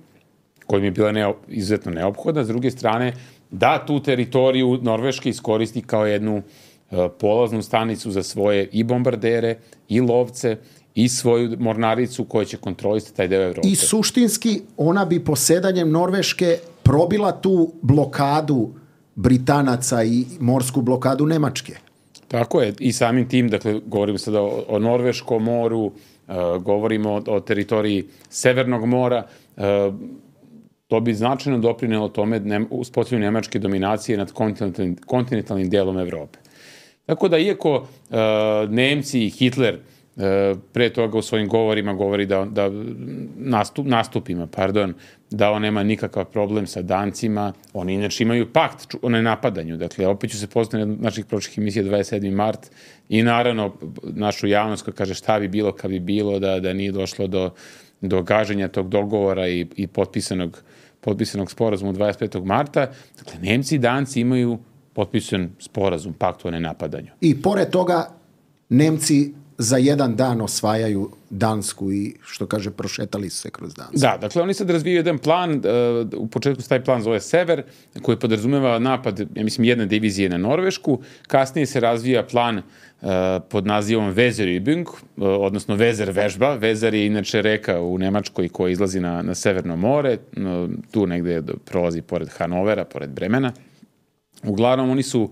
kojim je bila neo, izuzetno neophodna, s druge strane, da tu teritoriju Norveške iskoristi kao jednu uh, polaznu stanicu za svoje i bombardere, i lovce, i svoju mornaricu koja će kontrolisati taj deo Evrope. I suštinski ona bi posedanjem Norveške probila tu blokadu Britanaca i morsku blokadu Nemačke. Tako je. I samim tim, dakle, govorimo sada o, o Norveškom moru, uh, govorimo o, o teritoriji Severnog mora, uh, to bi značajno doprinelo tome ne, uspostavljanju nemačke dominacije nad kontinentalnim, kontinentalnim dijelom Evrope. Tako da, iako uh, Nemci i Hitler uh, pre toga u svojim govorima govori da, da nastup, nastupima, pardon, da on nema nikakav problem sa Dancima, oni inače imaju pakt o nenapadanju. Dakle, opet ću se poznati na naših prošlih emisija dvadeset sedmi mart i naravno našu javnost koja kaže šta bi bilo kad bi bilo da, da nije došlo do, do gaženja tog dogovora i, i potpisanog, potpisanog sporazuma dvadeset petog marta. Dakle, Nemci i Danci imaju potpisan sporazum, pakt o nenapadanju. I pored toga Nemci za jedan dan osvajaju Dansku i, što kaže, prošetali su se kroz Dansku. Da, dakle, oni sad razvijaju jedan plan, uh, u početku se taj plan zove Sever, koji podrazumeva napad, ja mislim, jedne divizije na Norvešku, kasnije se razvija plan uh, pod nazivom Weserübung, uh, odnosno Weser vežba. Weser je inače reka u Nemačkoj koja izlazi na, na Severno more, uh, tu negde prolazi pored Hanovera, pored Bremena. Uglavnom, oni su uh,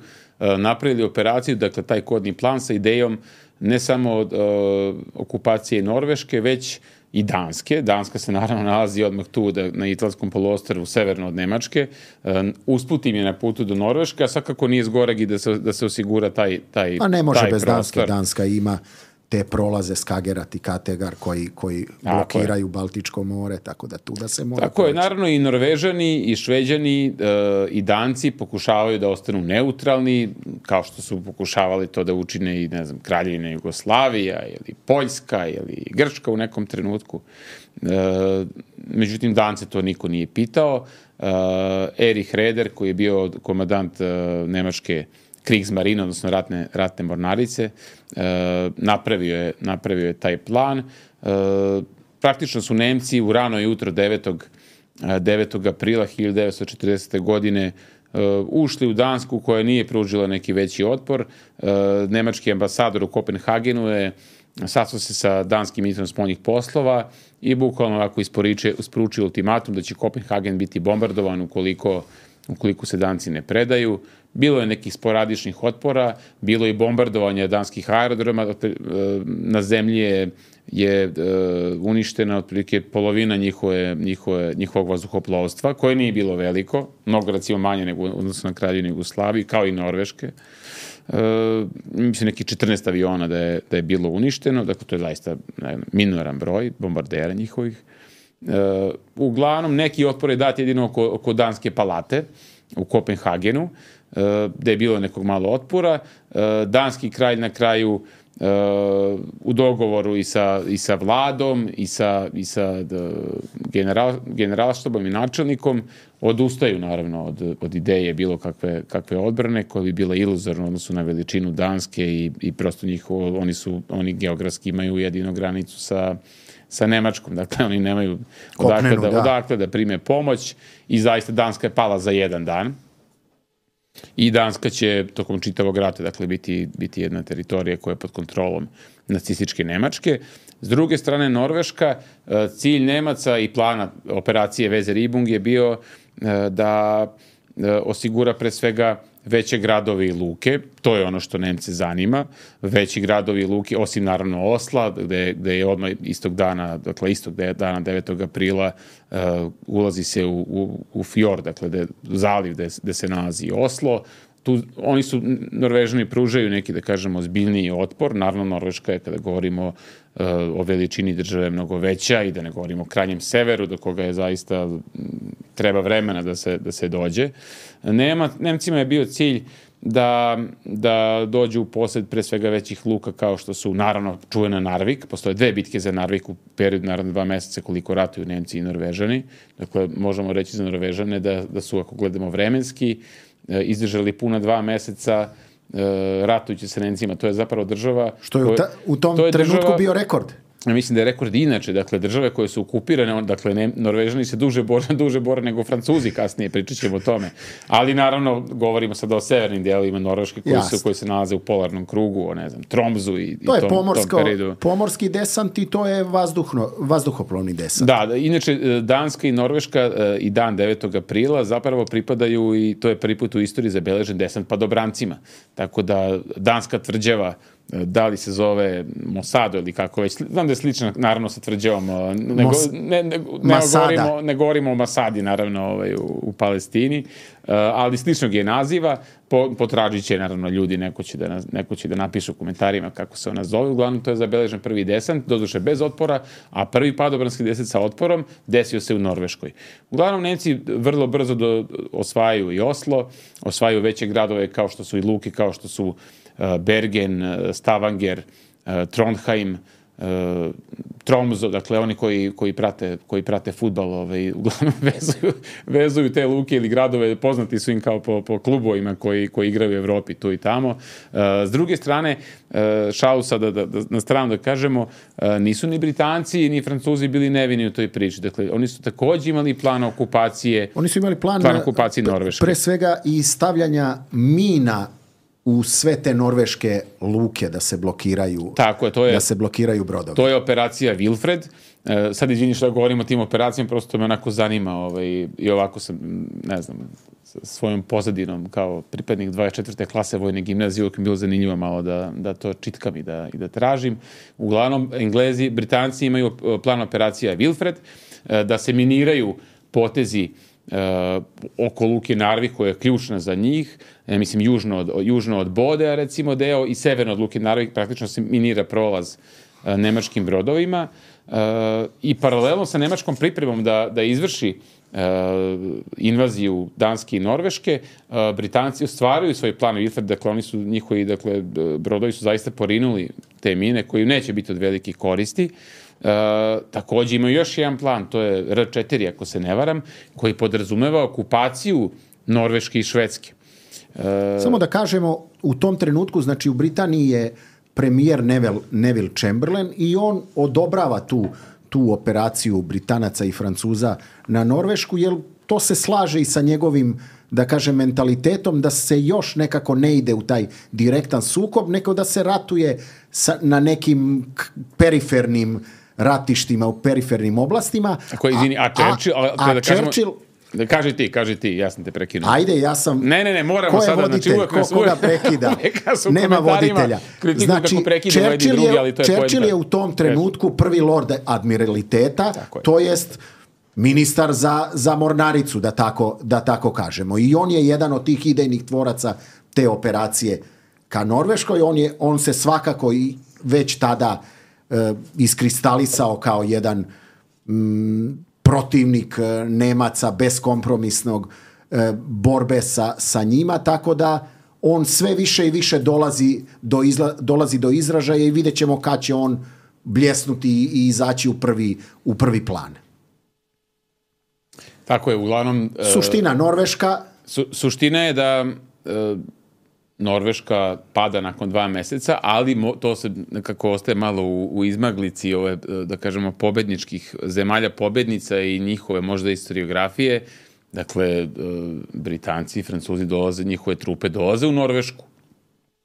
napravili operaciju, dakle, taj kodni plan sa idejom ne samo od uh, okupacije Norveške, već i Danske. Danska se naravno nalazi odmah tu da, na Italskom poluostrvu severno od Nemačke. Uh, usput im je na putu do Norveške, a svakako nije zgoreg i da se, da se osigura taj, taj, a ne može taj bez prostor. Danske. Danska ima te prolaze Skagerat i Kategar koji, koji blokiraju Baltičko more, tako da tu da se mora... Tako je, naravno i Norvežani i Šveđani uh, i Danci pokušavaju da ostanu neutralni, kao što su pokušavali to da učine i, ne znam, Kraljevina Jugoslavija ili Poljska ili Grčka u nekom trenutku. Uh, međutim, Dance to niko nije pitao. Uh, Erich Raeder, koji je bio komandant uh, Nemačke Kriegsmarine, odnosno ratne, ratne mornarice, e, napravio, je, napravio je taj plan. E, praktično su Nemci u rano jutro devetog aprila hiljadu devetsto četrdesete. godine e, ušli u Dansku koja nije pružila neki veći otpor. E, nemački ambasador u Kopenhagenu je sastao se sa danskim ministrom spoljnih poslova i bukvalno ovako isporučio ultimatum da će Kopenhagen biti bombardovan ukoliko, ukoliko se Danci ne predaju. Bilo je nekih sporadičnih otpora, bilo je i bombardovanja danskih aerodroma, na zemlji je, je uništena otprilike polovina njihove, njihove, njihovog vazduhoplovstva, koje nije bilo veliko, mnogo recimo manje nego odnosno na Kraljevinu Jugoslaviju, kao i Norveške. Uh, mislim neki četrnaest aviona da je, da je bilo uništeno, dakle to je zaista ne, minoran broj bombardera njihovih. Uh, uglavnom neki otpor je dat jedino oko, oko Danske palate u Kopenhagenu, uh, gde je bilo nekog malo otpora. Uh, danski kralj na kraju uh, u dogovoru i sa, i sa vladom i sa, i sa general, generalštabom i načelnikom odustaju naravno od, od ideje bilo kakve, kakve odbrane koja bi bila iluzorna u odnosu na veličinu Danske i, i prosto njihovo, oni su, oni geografski imaju jedino granicu sa, sa Nemačkom, dakle oni nemaju odakle da, da. odakle da prime pomoć i zaista Danska je pala za jedan dan i Danska će tokom čitavog rata dakle biti, biti jedna teritorija koja je pod kontrolom nacističke Nemačke. S druge strane Norveška, cilj Nemaca i plana operacije Weserübung je bio da osigura pre svega veće gradovi i luke, to je ono što Nemce zanima, veći gradovi i luke, osim naravno Osla, gde, gde je odmah istog dana, dakle istog dana devetog aprila uh, ulazi se u, u, u fjord, dakle de, zaliv gde, gde se nalazi Oslo. Tu, oni su, Norvežani pružaju neki, da kažemo, ozbiljniji otpor. Naravno, Norveška je, kada govorimo uh, o veličini države, mnogo veća i da ne govorimo o krajnjem severu, do koga je zaista treba vremena da se, da se dođe. Nema, Nemcima je bio cilj da, da dođu u posjed pre svega većih luka kao što su, naravno, čuvena Narvik. Postoje dve bitke za Narvik u periodu, naravno, dva meseca koliko ratuju Nemci i Norvežani. Dakle, možemo reći za Norvežane da, da su, ako gledamo vremenski, izdržali puna dva meseca uh, ratujući sa Nemcima. To je zapravo država... Što je u, ta, u tom to trenutku država, bio rekord. Mislim da je rekord inače. Dakle, države koje su okupirane, dakle, ne, Norvežani se duže bore, duže bore nego Francuzi kasnije, pričat ćemo o tome. Ali, naravno, govorimo sada o severnim dijelovima Norveške koji, su, koji se nalaze u polarnom krugu, o, ne znam, Tromzu i, to i tom, je pomorsko, tom periodu. pomorski desant i to je vazduhno, vazduhoplovni desant. Da, da, inače, Danska i Norveška i dan devetog aprila zapravo pripadaju i to je prvi put u istoriji zabeležen desant padobrancima. Tako da Danska tvrđava da li se zove Mosado ili kako već. Znam da je slično, naravno, sa tvrđavom. Ne, Mos, ne, ne, ne, govorimo, ne govorimo o Masadi, naravno, ovaj, u, u Palestini, uh, ali sličnog je naziva. Po, potražit će, naravno, ljudi, neko će, da, neko će da napiše u komentarima kako se ona zove. Uglavnom, to je zabeležen prvi desant, doduše bez otpora, a prvi padobranski desant sa otporom desio se u Norveškoj. Uglavnom, Nemci vrlo brzo do, osvajaju i Oslo, osvajaju veće gradove kao što su i luke, kao što su Bergen, Stavanger, Trondheim, Tromso, dakle oni koji, koji prate, koji prate fudbal, ovaj, uglavnom vezuju, vezuju te luke ili gradove, poznati su im kao po, po klubovima koji, koji igraju u Evropi tu i tamo. S druge strane, šalu sada da, da, na stranu da kažemo, nisu ni Britanci ni Francuzi bili nevini u toj priči. Dakle, oni su takođe imali plan okupacije, oni su imali plan, plan okupacije Norveške. Pre svega i stavljanja mina u sve te norveške luke da se blokiraju, tako je, to je, da se blokiraju brodovi. To je operacija Wilfred. E, sad izvini što govorimo o tim operacijama, prosto me onako zanima ovaj, i ovako sam, ne znam, svojom pozadinom kao pripadnik dvadeset četvrte klase vojne gimnazije uvijek mi bilo zanimljivo malo da, da to čitkam i da, i da tražim. Uglavnom, Englezi, Britanci imaju plan operacija Wilfred, e, da se miniraju potezi Uh, oko luke Narvik koja je ključna za njih, ja mislim južno od, južno od Bodea recimo deo i severno od luke Narvik praktično se minira prolaz uh, nemačkim brodovima uh, i paralelno sa nemačkom pripremom da, da izvrši uh, invaziju Danske i Norveške, uh, Britanci ostvaruju svoj plan Wilfred, dakle oni su njihovi, dakle brodovi su zaista porinuli te mine koji neće biti od velikih koristi. Uh, takođe imaju još jedan plan, to je R četiri, ako se ne varam, koji podrazumeva okupaciju Norveške i Švedske. Uh, Samo da kažemo, u tom trenutku, znači u Britaniji je premijer Neville, Neville Chamberlain i on odobrava tu, tu operaciju Britanaca i Francuza na Norvešku, jer to se slaže i sa njegovim, da kažem, mentalitetom da se još nekako ne ide u taj direktan sukob, nego da se ratuje sa, na nekim perifernim ratištima, u perifernim oblastima. Ako, izvini, a Churchill... A, a, a da kažemo, Churchill... Da, kaži ti, kaži ti, ja sam te prekinuo. Ajde, ja sam... Ne, ne, ne, moramo ko je sada... voditelj, znači, ko koga prekida? Nema voditelja. Znači, Churchill, drugi, je, to je, Churchill je u tom trenutku prvi lord admiraliteta, to jest ministar za, za mornaricu, da tako, da tako kažemo. I on je jedan od tih idejnih tvoraca te operacije ka Norveškoj. On, je, on se svakako i već tada e, iskristalisao kao jedan mm, protivnik e, Nemaca, beskompromisnog e, borbe sa, sa njima, tako da on sve više i više dolazi do, izla, dolazi do izražaja i vidjet ćemo kad će on bljesnuti i izaći u prvi, u prvi plan. Tako je, uglavnom... Suština Norveška... Su, suština je da e, Norveška pada nakon dva meseca, ali mo, to se nekako ostaje malo u, u izmaglici ove, da kažemo, pobedničkih zemalja pobednica i njihove možda historiografije. Dakle, e, Britanci i Francuzi dolaze, njihove trupe dolaze u Norvešku.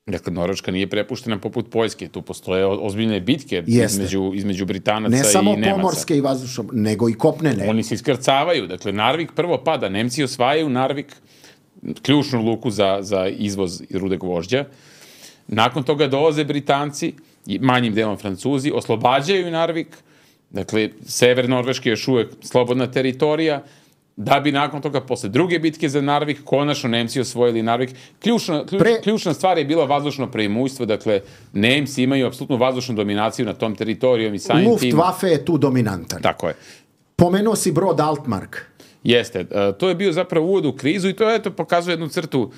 Dakle, Norveška nije prepuštena poput Poljske. Tu postoje ozbiljne bitke između, između Britanaca i Nemaca. Ne samo pomorske i vazdušne, nego i kopnene. Oni se iskrcavaju. Dakle, Narvik prvo pada. Nemci osvajaju Narvik, ključnu luku za, za izvoz rude gvožđa. Nakon toga dolaze Britanci, manjim delom Francuzi, oslobađaju Narvik. Dakle, sever Norveške je još uvek slobodna teritorija. Da bi nakon toga, posle druge bitke za Narvik, konačno Nemci osvojili Narvik. Ključna, ključ, Pre... ključna stvar je bila vazdušno preimujstvo, dakle, Nemci imaju apsolutnu vazdušnu dominaciju na tom teritorijom i samim tim... Luftwaffe je tu dominantan. Tako je. Pomenuo si brod Altmark. Jeste. Uh, to je bio zapravo uvod u krizu i to eto pokazuje jednu crtu. Uh,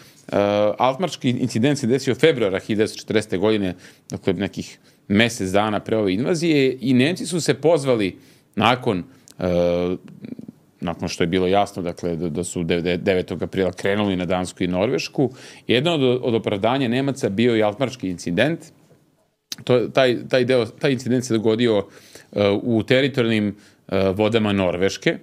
Altmarčki incident se desio februara hiljadu devetsto četrdesete. godine, dakle, nekih mesec dana pre ove invazije i Nemci su se pozvali nakon... Uh, nakon što je bilo jasno, dakle, da su devetog aprila krenuli na Dansku i Norvešku. Jedno od, od opravdanja Nemaca bio i Altmarčki incident. To, taj, taj, deo, taj incident se dogodio uh, u teritorijalnim uh, vodama Norveške,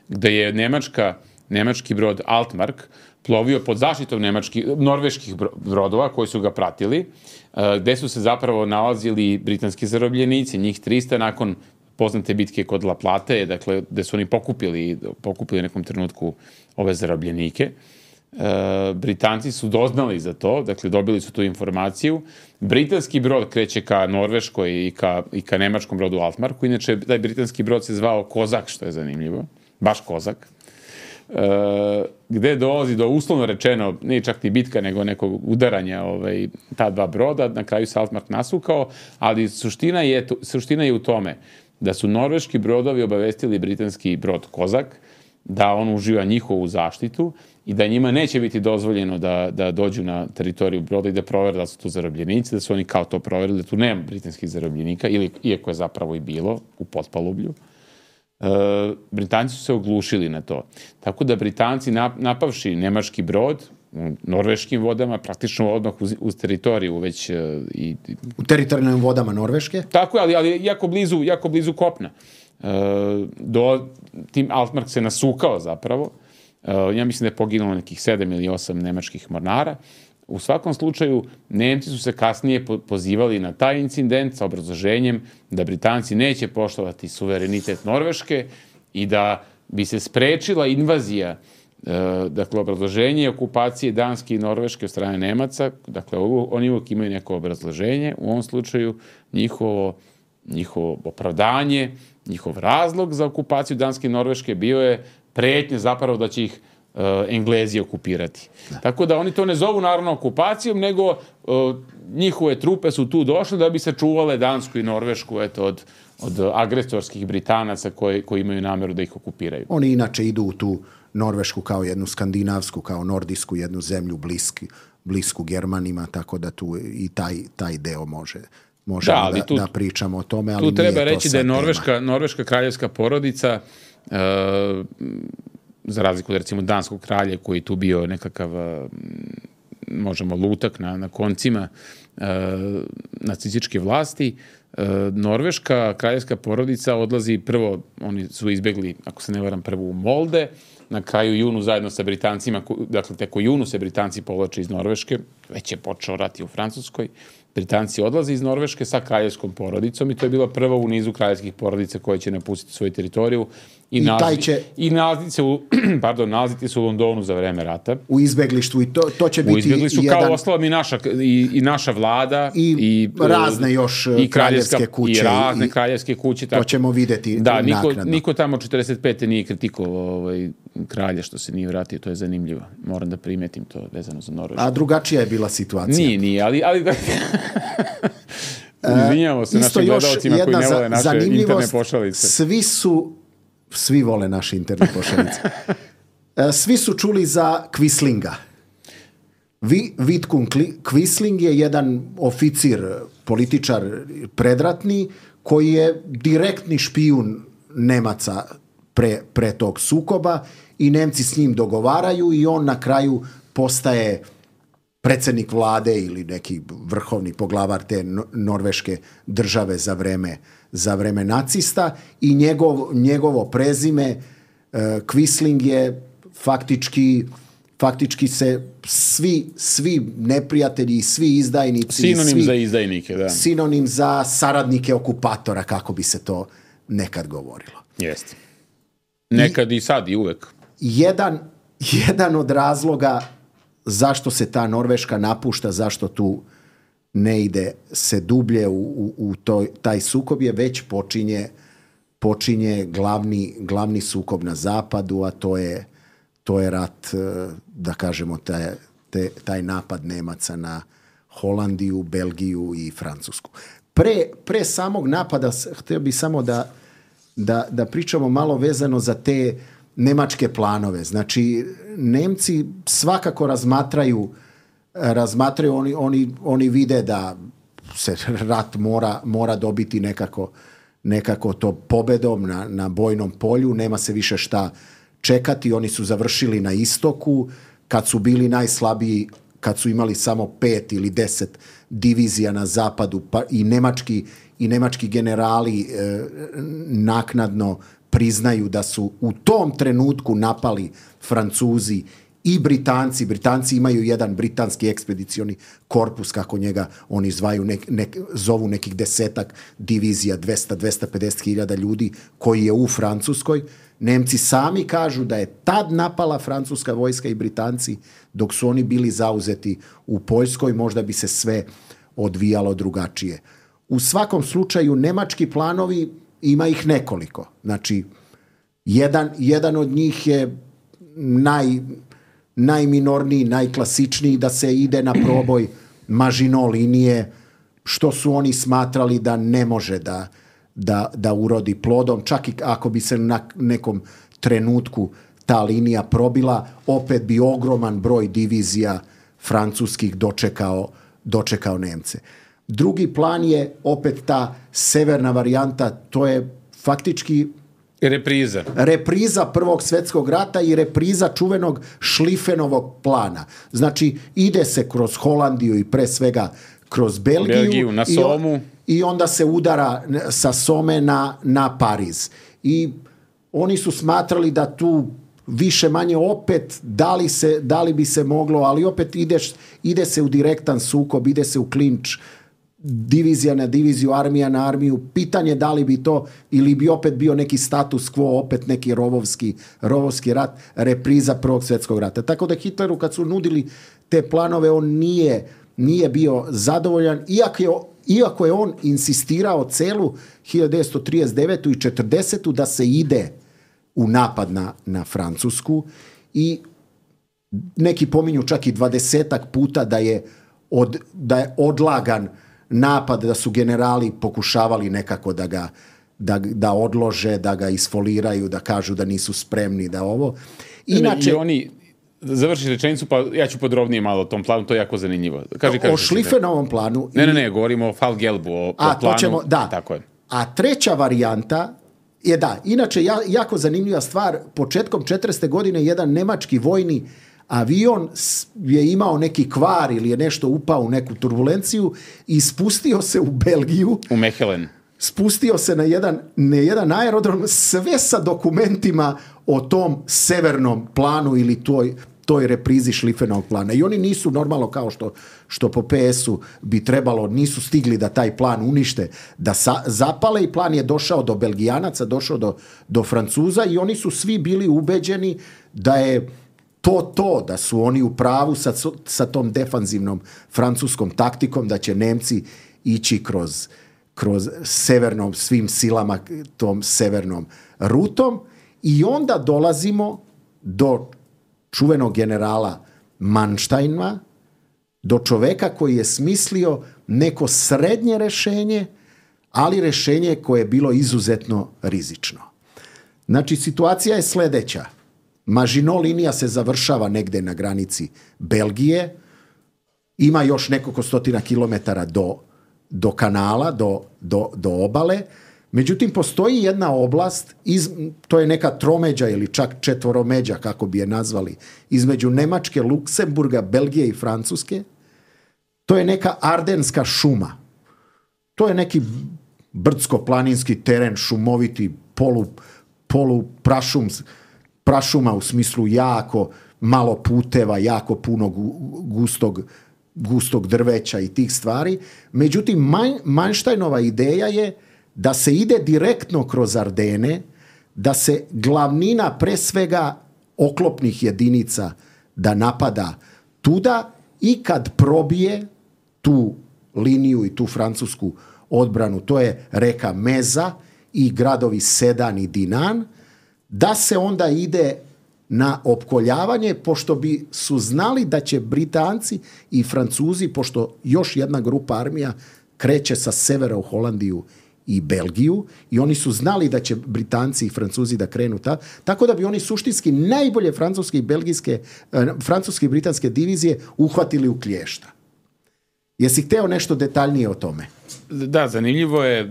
gde je Nemačka, nemački brod Altmark plovio pod zaštitom nemački, norveških brodova koji su ga pratili, uh, gde su se zapravo nalazili britanski zarobljenici, njih trista nakon poznate bitke kod La Plate, dakle, gde su oni pokupili, pokupili u nekom trenutku ove zarobljenike. E, Britanci su doznali za to, dakle, dobili su tu informaciju. Britanski brod kreće ka Norveškoj i ka, i ka nemačkom brodu Altmarku. Inače, taj britanski brod se zvao Kozak, što je zanimljivo. Baš Kozak. E, gde dolazi do, uslovno rečeno, nije čak ni bitka, nego nekog udaranja ovaj, ta dva broda. Na kraju se Altmark nasukao, ali suština je, suština je u tome da su norveški brodovi obavestili britanski brod Kozak da on uživa njihovu zaštitu i da njima neće biti dozvoljeno da, da dođu na teritoriju broda i da provere da su tu zarobljenici, da su oni kao to proverili, da tu nema britanskih zarobljenika, ili, iako je zapravo i bilo u potpalublju. E, Britanci su se oglušili na to. Tako da Britanci napavši nemački brod u norveškim vodama, praktično odmah uz, uz teritoriju već... Uh, i, u teritorijalnim vodama Norveške? Tako je, ali, ali jako, blizu, jako blizu kopna. Uh, do, tim Altmark se nasukao zapravo. Uh, ja mislim da je poginulo nekih sedam ili osam nemačkih mornara. U svakom slučaju, Nemci su se kasnije po, pozivali na taj incident sa obrazloženjem da Britanci neće poštovati suverenitet Norveške i da bi se sprečila invazija. Dakle, obrazloženje okupacije Danske i Norveške od strane Nemaca, dakle, oni uvijek imaju neko obrazloženje, u ovom slučaju njihovo, njihovo opravdanje, njihov razlog za okupaciju Danske i Norveške bio je pretnje zapravo da će ih uh, Englezi okupirati. Da. Tako da oni to ne zovu naravno okupacijom, nego uh, njihove trupe su tu došle da bi se čuvale Dansku i Norvešku eto, od, od agresorskih Britanaca koji, koji imaju nameru da ih okupiraju. Oni inače idu u tu Norvešku kao jednu skandinavsku, kao nordijsku jednu zemlju bliski, blisku Germanima, tako da tu i taj, taj deo može, može da, da, tu, da pričamo o tome. Ali tu treba reći da je Norveška, Norveška kraljevska porodica, e, za razliku od recimo danskog kralja koji tu bio nekakav, možemo, lutak na, na koncima e, nacističke vlasti, Norveška kraljevska porodica odlazi prvo, oni su izbegli, ako se ne varam, prvo u Molde, na kraju junu zajedno sa Britancima, dakle tek u junu se Britanci povlače iz Norveške, već je počeo rat i u Francuskoj, Britanci odlaze iz Norveške sa kraljevskom porodicom i to je bila prva u nizu kraljevskih porodica koje će napustiti svoju teritoriju i, I, nalazi, će... i nalaziti se u, pardon, nalaziti se u Londonu za vreme rata. U izbeglištvu i to, to će biti u izbeglištvu jedan... kao ostalom i naša, i, i naša vlada i, i razne još i kraljevske kuće i razne i, kraljevske kuće. Tako. To ćemo vidjeti da, niko, naknadno. Niko tamo četrdeset pete nije kritikovao ovaj, kralja što se nije vratio, to je zanimljivo. Moram da primetim to vezano za Norvešku. A drugačija je bila situacija. Nije, nije, ali... ali izvinjamo se našim gledalcima koji ne vole naše interne pošalice. Svi su, svi vole naše interne pošalice. Svi su čuli za Quislinga. Vidkun Quisling je jedan oficir, političar predratni, koji je direktni špijun Nemaca pre, pre tog sukoba i Nemci s njim dogovaraju i on na kraju postaje predsjednik vlade ili neki vrhovni poglavar te norveške države za vreme, za vreme nacista i njegov, njegovo prezime uh, Quisling je faktički, faktički se svi, svi neprijatelji i svi izdajnici... Sinonim svi, za izdajnike, da. Sinonim za saradnike okupatora, kako bi se to nekad govorilo. Jeste. Nekad i, i sad i uvek. Jedan, jedan od razloga zašto se ta Norveška napušta, zašto tu ne ide se dublje u, u, u toj, taj sukob je već počinje, počinje glavni, glavni sukob na zapadu, a to je, to je rat, da kažemo, taj, te, taj napad Nemaca na Holandiju, Belgiju i Francusku. Pre, pre samog napada, htio bih samo da, da, da pričamo malo vezano za te nemačke planove. Znači, Nemci svakako razmatraju, razmatraju oni, oni, oni vide da se rat mora, mora dobiti nekako, nekako to pobedom na, na bojnom polju, nema se više šta čekati, oni su završili na istoku, kad su bili najslabiji, kad su imali samo pet ili deset divizija na zapadu, pa i nemački, i nemački generali e, naknadno priznaju da su u tom trenutku napali Francuzi i Britanci. Britanci imaju jedan britanski ekspedicioni korpus, kako njega oni zvaju, nek, nek, zovu nekih desetak divizija, dvesta do dvesta pedeset hiljada ljudi, koji je u Francuskoj. Nemci sami kažu da je tad napala francuska vojska i Britanci, dok su oni bili zauzeti u Poljskoj, možda bi se sve odvijalo drugačije. U svakom slučaju, nemački planovi, ima ih nekoliko. Znači, jedan, jedan od njih je naj, najminorniji, najklasičniji, da se ide na proboj Maginot linije, što su oni smatrali da ne može da, da, da urodi plodom. Čak i ako bi se na nekom trenutku ta linija probila, opet bi ogroman broj divizija francuskih dočekao, dočekao Nemce. Drugi plan je opet ta severna varijanta, to je faktički repriza. Repriza Prvog svjetskog rata i repriza čuvenog Šlifenovog plana. Znači, ide se kroz Holandiju i pre svega kroz Belgiju, Belgiju na Somu. I, i onda se udara sa Some na, na Pariz. I oni su smatrali da tu više manje opet da li, se, da li bi se moglo, ali opet ideš, ide se u direktan sukob, ide se u klinč, divizija na diviziju, armija na armiju. Pitanje da li bi to, ili bi opet bio neki status quo, opet neki rovovski, rovovski rat, repriza Prvog svjetskog rata. Tako da Hitleru kad su nudili te planove, on nije, nije bio zadovoljan, iako je, iako je on insistirao celu hiljadu devetsto trideset devete. i četrdesetu da se ide u napad na, na Francusku i neki pominju čak i dvadesetak puta da je, od, da je odlagan napad, da su generali pokušavali nekako da ga da, da odlože, da ga isfoliraju, da kažu da nisu spremni, da ovo. Inače, i oni, završi rečenicu, pa ja ću podrobnije malo o tom planu, to je jako zanimljivo. Kaži, kaži, o Šlifenovom planu. Ne, ne, ne, govorimo o Fall-Gelbu, o, a, o planu. Ćemo, da. Tako je. A treća varijanta je da, inače ja, jako zanimljiva stvar, početkom četrdeset godine jedan nemački vojni avion je imao neki kvar ili je nešto upao u neku turbulenciju i spustio se u Belgiju. U Mechelen. Spustio se na jedan, na jedan aerodrom, sve sa dokumentima o tom severnom planu ili toj, toj reprizi Šlifenovog plana. I oni nisu normalno kao što, što po P S-u bi trebalo, nisu stigli da taj plan unište, da sa, zapale i plan je došao do Belgijanaca, došao do, do Francuza i oni su svi bili ubeđeni da je to to, da su oni u pravu sa, sa tom defanzivnom francuskom taktikom, da će Nemci ići kroz kroz severnom svim silama, tom severnom rutom i onda dolazimo do čuvenog generala Manštajna, do čoveka koji je smislio neko srednje rešenje, ali rešenje koje je bilo izuzetno rizično. Znači, situacija je sledeća. Maginot linija se završava negde na granici Belgije, ima još nekoliko stotina kilometara do do kanala, do, do, do obale. Međutim, postoji jedna oblast, iz, to je neka tromeđa ili čak četvoromeđa, kako bi je nazvali, između Nemačke, Luksemburga, Belgije i Francuske. To je neka ardenska šuma. To je neki brdsko-planinski teren, šumoviti, polu, polu prašum, prašuma u smislu jako malo puteva, jako puno gustog gustog drveća i tih stvari. Međutim, Manštajnova ideja je da se ide direktno kroz Ardene, da se glavnina pre svega oklopnih jedinica da napada tuda i kad probije tu liniju i tu francusku odbranu, to je reka Meza i gradovi Sedan i Dinan, da se onda ide na opkoljavanje, pošto bi su znali da će Britanci i Francuzi, pošto još jedna grupa armija kreće sa severa u Holandiju i Belgiju, i oni su znali da će Britanci i Francuzi da krenu ta, tako da bi oni suštinski najbolje francuske i belgijske, francuske i britanske divizije uhvatili u klješta. Jesi hteo nešto detaljnije o tome? Da, zanimljivo je.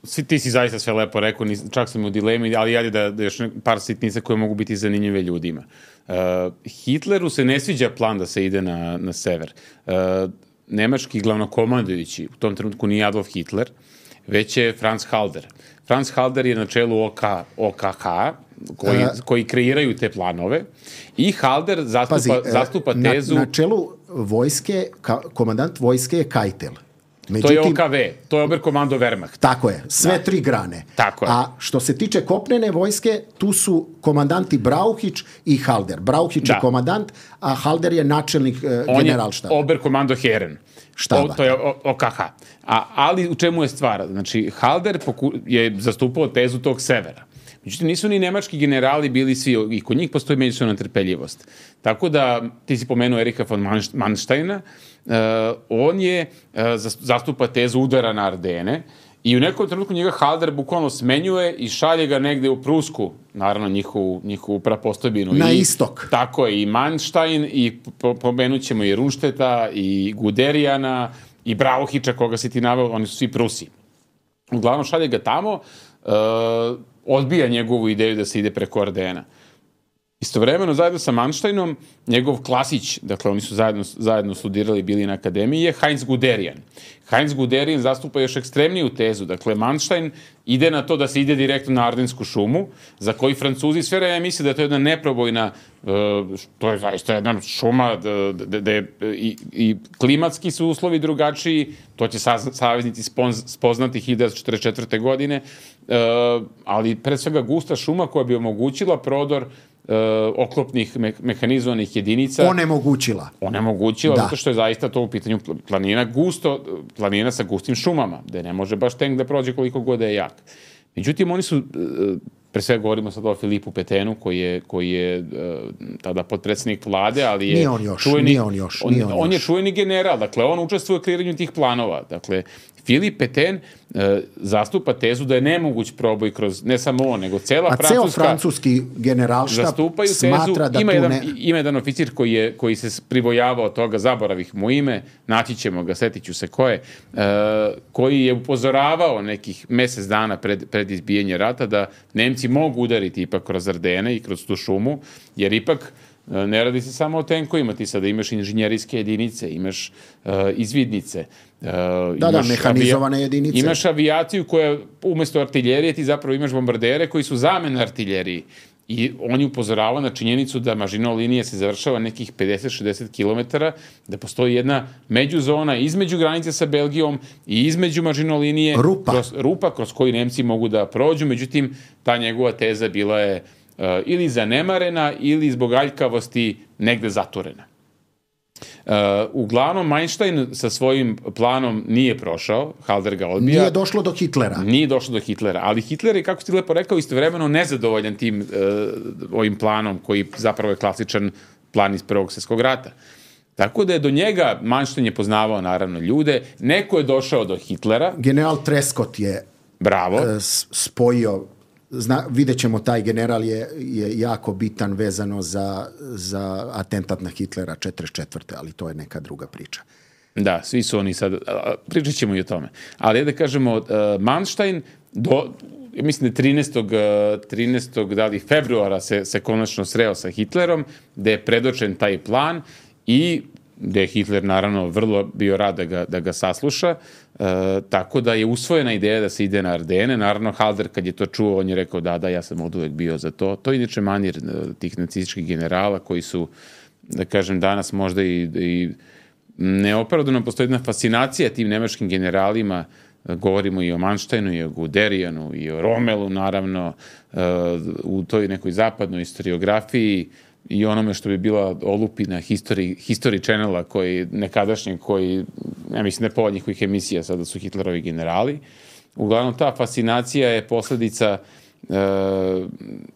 Svi, ti si zaista sve lepo rekao, čak sam u dilemi, ali jadi da, da još par sitnica koje mogu biti zanimljive ljudima. Uh, Hitleru se ne sviđa plan da se ide na, na sever. Uh, nemački glavnokomandujući u tom trenutku nije Adolf Hitler, već je Franz Halder. Franz Halder je na čelu O K, O K H, koji, uh, koji kreiraju te planove, i Halder zastupa, pazi, zastupa tezu... Na, na čelu vojske, ka, komandant vojske je Keitel. Međutim, to je O K V, to je Oberkommando Wehrmacht. Tako je, sve da. tri grane. Tako je. A što se tiče kopnene vojske, tu su komandanti Brauhić i Halder. Brauhić da. je komandant, a Halder je načelnik uh, generalštaba. On je Oberkommando Heeren. Štaba. O, to je O K H. A, ali u čemu je stvar? Znači, Halder poku, je zastupao tezu tog severa. Međutim, nisu ni nemački generali bili svi, i kod njih postoji međusobna trpeljivost. Tako da, ti si pomenuo Erika von Manštajna, uh, on je uh, zastupa tezu udara na Ardene i u nekom trenutku njega Halder bukvalno smenjuje i šalje ga negde u Prusku, naravno njihovu, njihovu prapostojbinu. Na I, istok. Tako je, i Manštajn, i pomenut ćemo i Runšteta, i Guderijana, i Brauhića, koga si ti naveo, oni su svi Prusi. Uglavnom šalje ga tamo, uh, odbija njegovu ideju da se ide preko Ardena. Istovremeno, zajedno sa Manštajnom, njegov klasić, dakle oni su zajedno, zajedno studirali, bili na akademiji, je Heinz Guderian. Heinz Guderian zastupa još ekstremniju tezu. Dakle, Manštajn ide na to da se ide direktno na Ardensku šumu, za koji Francuzi sve vreme misle da je to jedna neprobojna, to je zaista jedna šuma, da je i, i klimatski su uslovi drugačiji, to će saveznici spoznati hiljadu devetsto četrdeset četvrte. godine, ali pre svega gusta šuma koja bi omogućila prodor Uh, oklopnih me mehanizovanih jedinica. Onemogućila. Onemogućila, da. Zato što je zaista to u pitanju planina gusto, planina sa gustim šumama, gde ne može baš tank da prođe koliko god da je jak. Međutim, oni su, uh, pre svega govorimo sad o Filipu Petenu, koji je, koji je uh, tada potpredsjednik vlade, ali je... Nije on još, čuveni, nije on još. Nije on, on, on je još. čuveni general, dakle, on učestvuje u kreiranju tih planova. Dakle, Filip Peten uh, zastupa tezu da je nemoguć proboj kroz, ne samo on, nego cela A Francuska... A ceo francuski generalštab smatra da ima tu jedan, ne... Ima jedan oficir koji, je, koji se pribojavao toga, zaboravih mu ime, naći ćemo ga, setit ću se ko je, uh, koji je upozoravao nekih mesec dana pred, pred izbijanje rata da Nemci mogu udariti ipak kroz Ardene i kroz tu šumu, jer ipak Ne radi se samo o tenkovima, ti sada imaš inženjerijske jedinice, imaš uh, izvidnice, uh, da, imaš da, mehanizovane avija, jedinice. Imaš avijaciju koja umjesto artiljerije ti zapravo imaš bombardere koji su zamena artiljeriji. I on je upozoravao na činjenicu da mažino linija se završava nekih pedeset do šezdeset kilometara, da postoji jedna međuzona između granice sa Belgijom i između mažino linije, rupa. Kroz, rupa kroz koju Nemci mogu da prođu, međutim, ta njegova teza bila je uh, ili zanemarena ili zbog aljkavosti negde zatvorena. Uh, uglavnom, Einstein sa svojim planom nije prošao, Halder ga odbija. Nije došlo do Hitlera. Nije došlo do Hitlera, ali Hitler je, kako si lepo rekao, istovremeno nezadovoljan tim uh, ovim planom, koji zapravo je klasičan plan iz Prvog svjetskog rata. Tako da je do njega, Einstein je poznavao naravno ljude, neko je došao do Hitlera. General Trescott je Bravo. Uh, spojio. Zna, vidjet ćemo, taj general je, je jako bitan vezano za, za atentat na Hitlera četrdeset četvrte ali to je neka druga priča. Da, svi su oni sad, pričat ćemo i o tome. Ali da kažemo, uh, Manstein, do, mislim da trinaestog trinaestog da li februara se, se konačno sreo sa Hitlerom, da je predočen taj plan i da je Hitler naravno vrlo bio rad da ga, da ga sasluša, e, tako da je usvojena ideja da se ide na Ardene. Naravno, Halder kad je to čuo, on je rekao da, da, ja sam od uvek bio za to. To je inače manir tih nacističkih generala koji su, da kažem, danas možda i, i neopravdano postoji jedna fascinacija tim nemačkim generalima. Govorimo i o Mansteinu, i o Guderijanu, i o Romelu, naravno, u toj nekoj zapadnoj historiografiji i onome što bi bila olupina History, History Channela, koji, nekadašnje, koji, ja mislim, ne pola njihovih emisija, sada su Hitlerovi generali. Uglavnom, ta fascinacija je posledica e,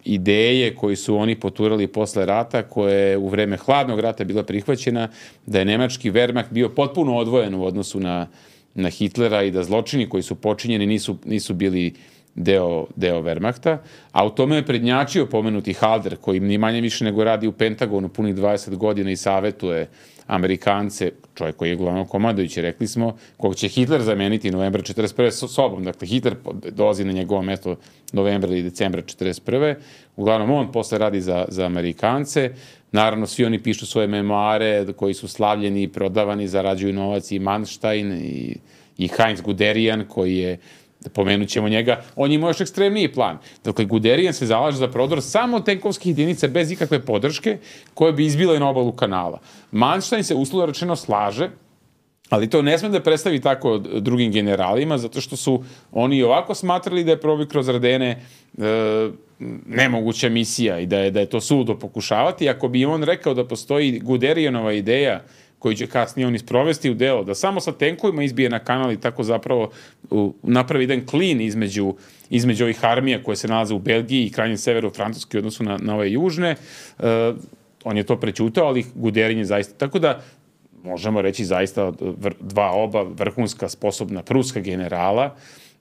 ideje koji su oni poturali posle rata, koje je u vreme hladnog rata bila prihvaćena, da je nemački Wehrmacht bio potpuno odvojen u odnosu na, na Hitlera i da zločini koji su počinjeni nisu, nisu bili deo, deo Wehrmachta, a u tome je prednjačio pomenuti Halder, koji ni manje više nego radi u Pentagonu punih dvadeset godina i savetuje Amerikance, čovjek koji je glavno komandojući, rekli smo, kog će Hitler zameniti novembra četrdeset prve sobom. Dakle, Hitler dolazi na njegovo mesto novembra ili decembra četrdeset prve Uglavnom, on posle radi za, za Amerikance. Naravno, svi oni pišu svoje memoare koji su slavljeni i prodavani, zarađuju novac, i Manstein i, i Heinz Guderian, koji je, pomenut ćemo njega, on je imao još ekstremniji plan. Dakle, Guderian se zalaže za prodor samo tenkovskih jedinica bez ikakve podrške koje bi izbile na obalu kanala. Manstein se uslovno rečeno slaže, ali to ne sme da predstavi tako drugim generalima, zato što su oni ovako smatrali da je proboj kroz Ardene e, nemoguća misija i da je, da je to suludo pokušavati. Ako bi on rekao da postoji Guderianova ideja koju će kasnije on isprovesti u delo, da samo sa tenkovima izbije na kanal i tako zapravo u, napravi jedan klin između, između ovih armija koje se nalaze u Belgiji i krajnjem severu Francuske u odnosu na, na ove južne, e, on je to prećutao, ali Guderian je zaista, tako da možemo reći zaista dva oba vrhunska sposobna pruska generala.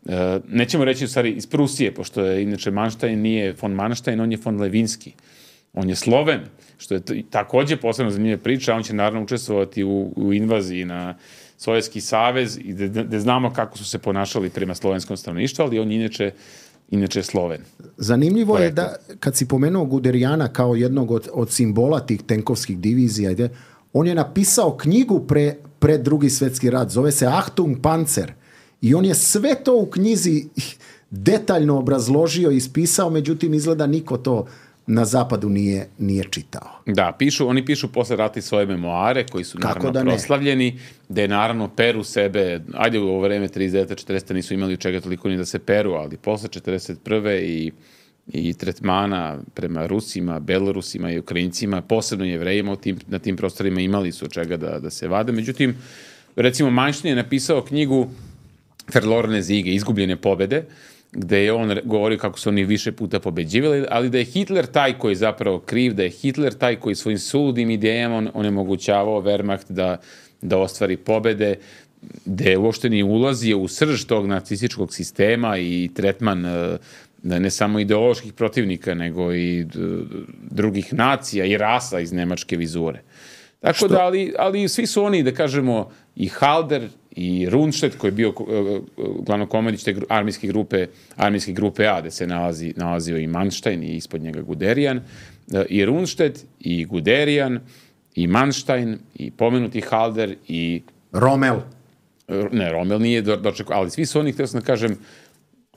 E, nećemo reći u stvari iz Prusije, pošto je inače Manstein nije von Manstein, on je von Levinski. On je Sloven, što je takođe posebno zanimljiva priča, on će naravno učestvovati u, u invaziji na Sovjetski savez i da znamo kako su se ponašali prema slovenskom stanovništvu, ali on je inače, inače Sloven. Zanimljivo je da, kad si pomenuo Guderijana kao jednog od, od simbola tih tenkovskih divizija, on je napisao knjigu pre, pre drugi svjetski rat, zove se Achtung Panzer, i on je sve to u knjizi detaljno obrazložio i ispisao, međutim izgleda niko to na zapadu nije, nije čitao. Da, pišu, oni pišu posle rata svoje memoare, koji su naravno da proslavljeni, da je naravno peru sebe, ajde u ovo vreme trideset devete četrdesete nisu imali od čega toliko ni da se peru, ali posle četrdeset prve i i tretmana prema Rusima, Belorusima i Ukrajincima, posebno Jevrejima u tim, na tim prostorima imali su od čega da, da se vade. Međutim, recimo Manstein je napisao knjigu Verlorene Siege, Izgubljene pobede, gde je on govorio kako su oni više puta pobeđivali, ali da je Hitler taj koji je zapravo kriv, da je Hitler taj koji svojim suludim idejama onemogućavao Wehrmacht da, da ostvari pobede, da je uopšte nije ulazio u srž tog nacističkog sistema i tretman da ne samo ideoloških protivnika, nego i drugih nacija i rasa iz nemačke vizure. Tako Što? da, ali, ali svi su oni, da kažemo, i Halder i Rundstedt, koji je bio glavnokomandnić te armijske grupe, armijske grupe A, gde se nalazi, nalazio i Manstein i ispod njega Guderian, i Rundstedt, i Guderian, i Manstein, i pomenuti Halder, i... Rommel. Ne, Rommel nije dočekao, ali svi su oni, htio sam da kažem,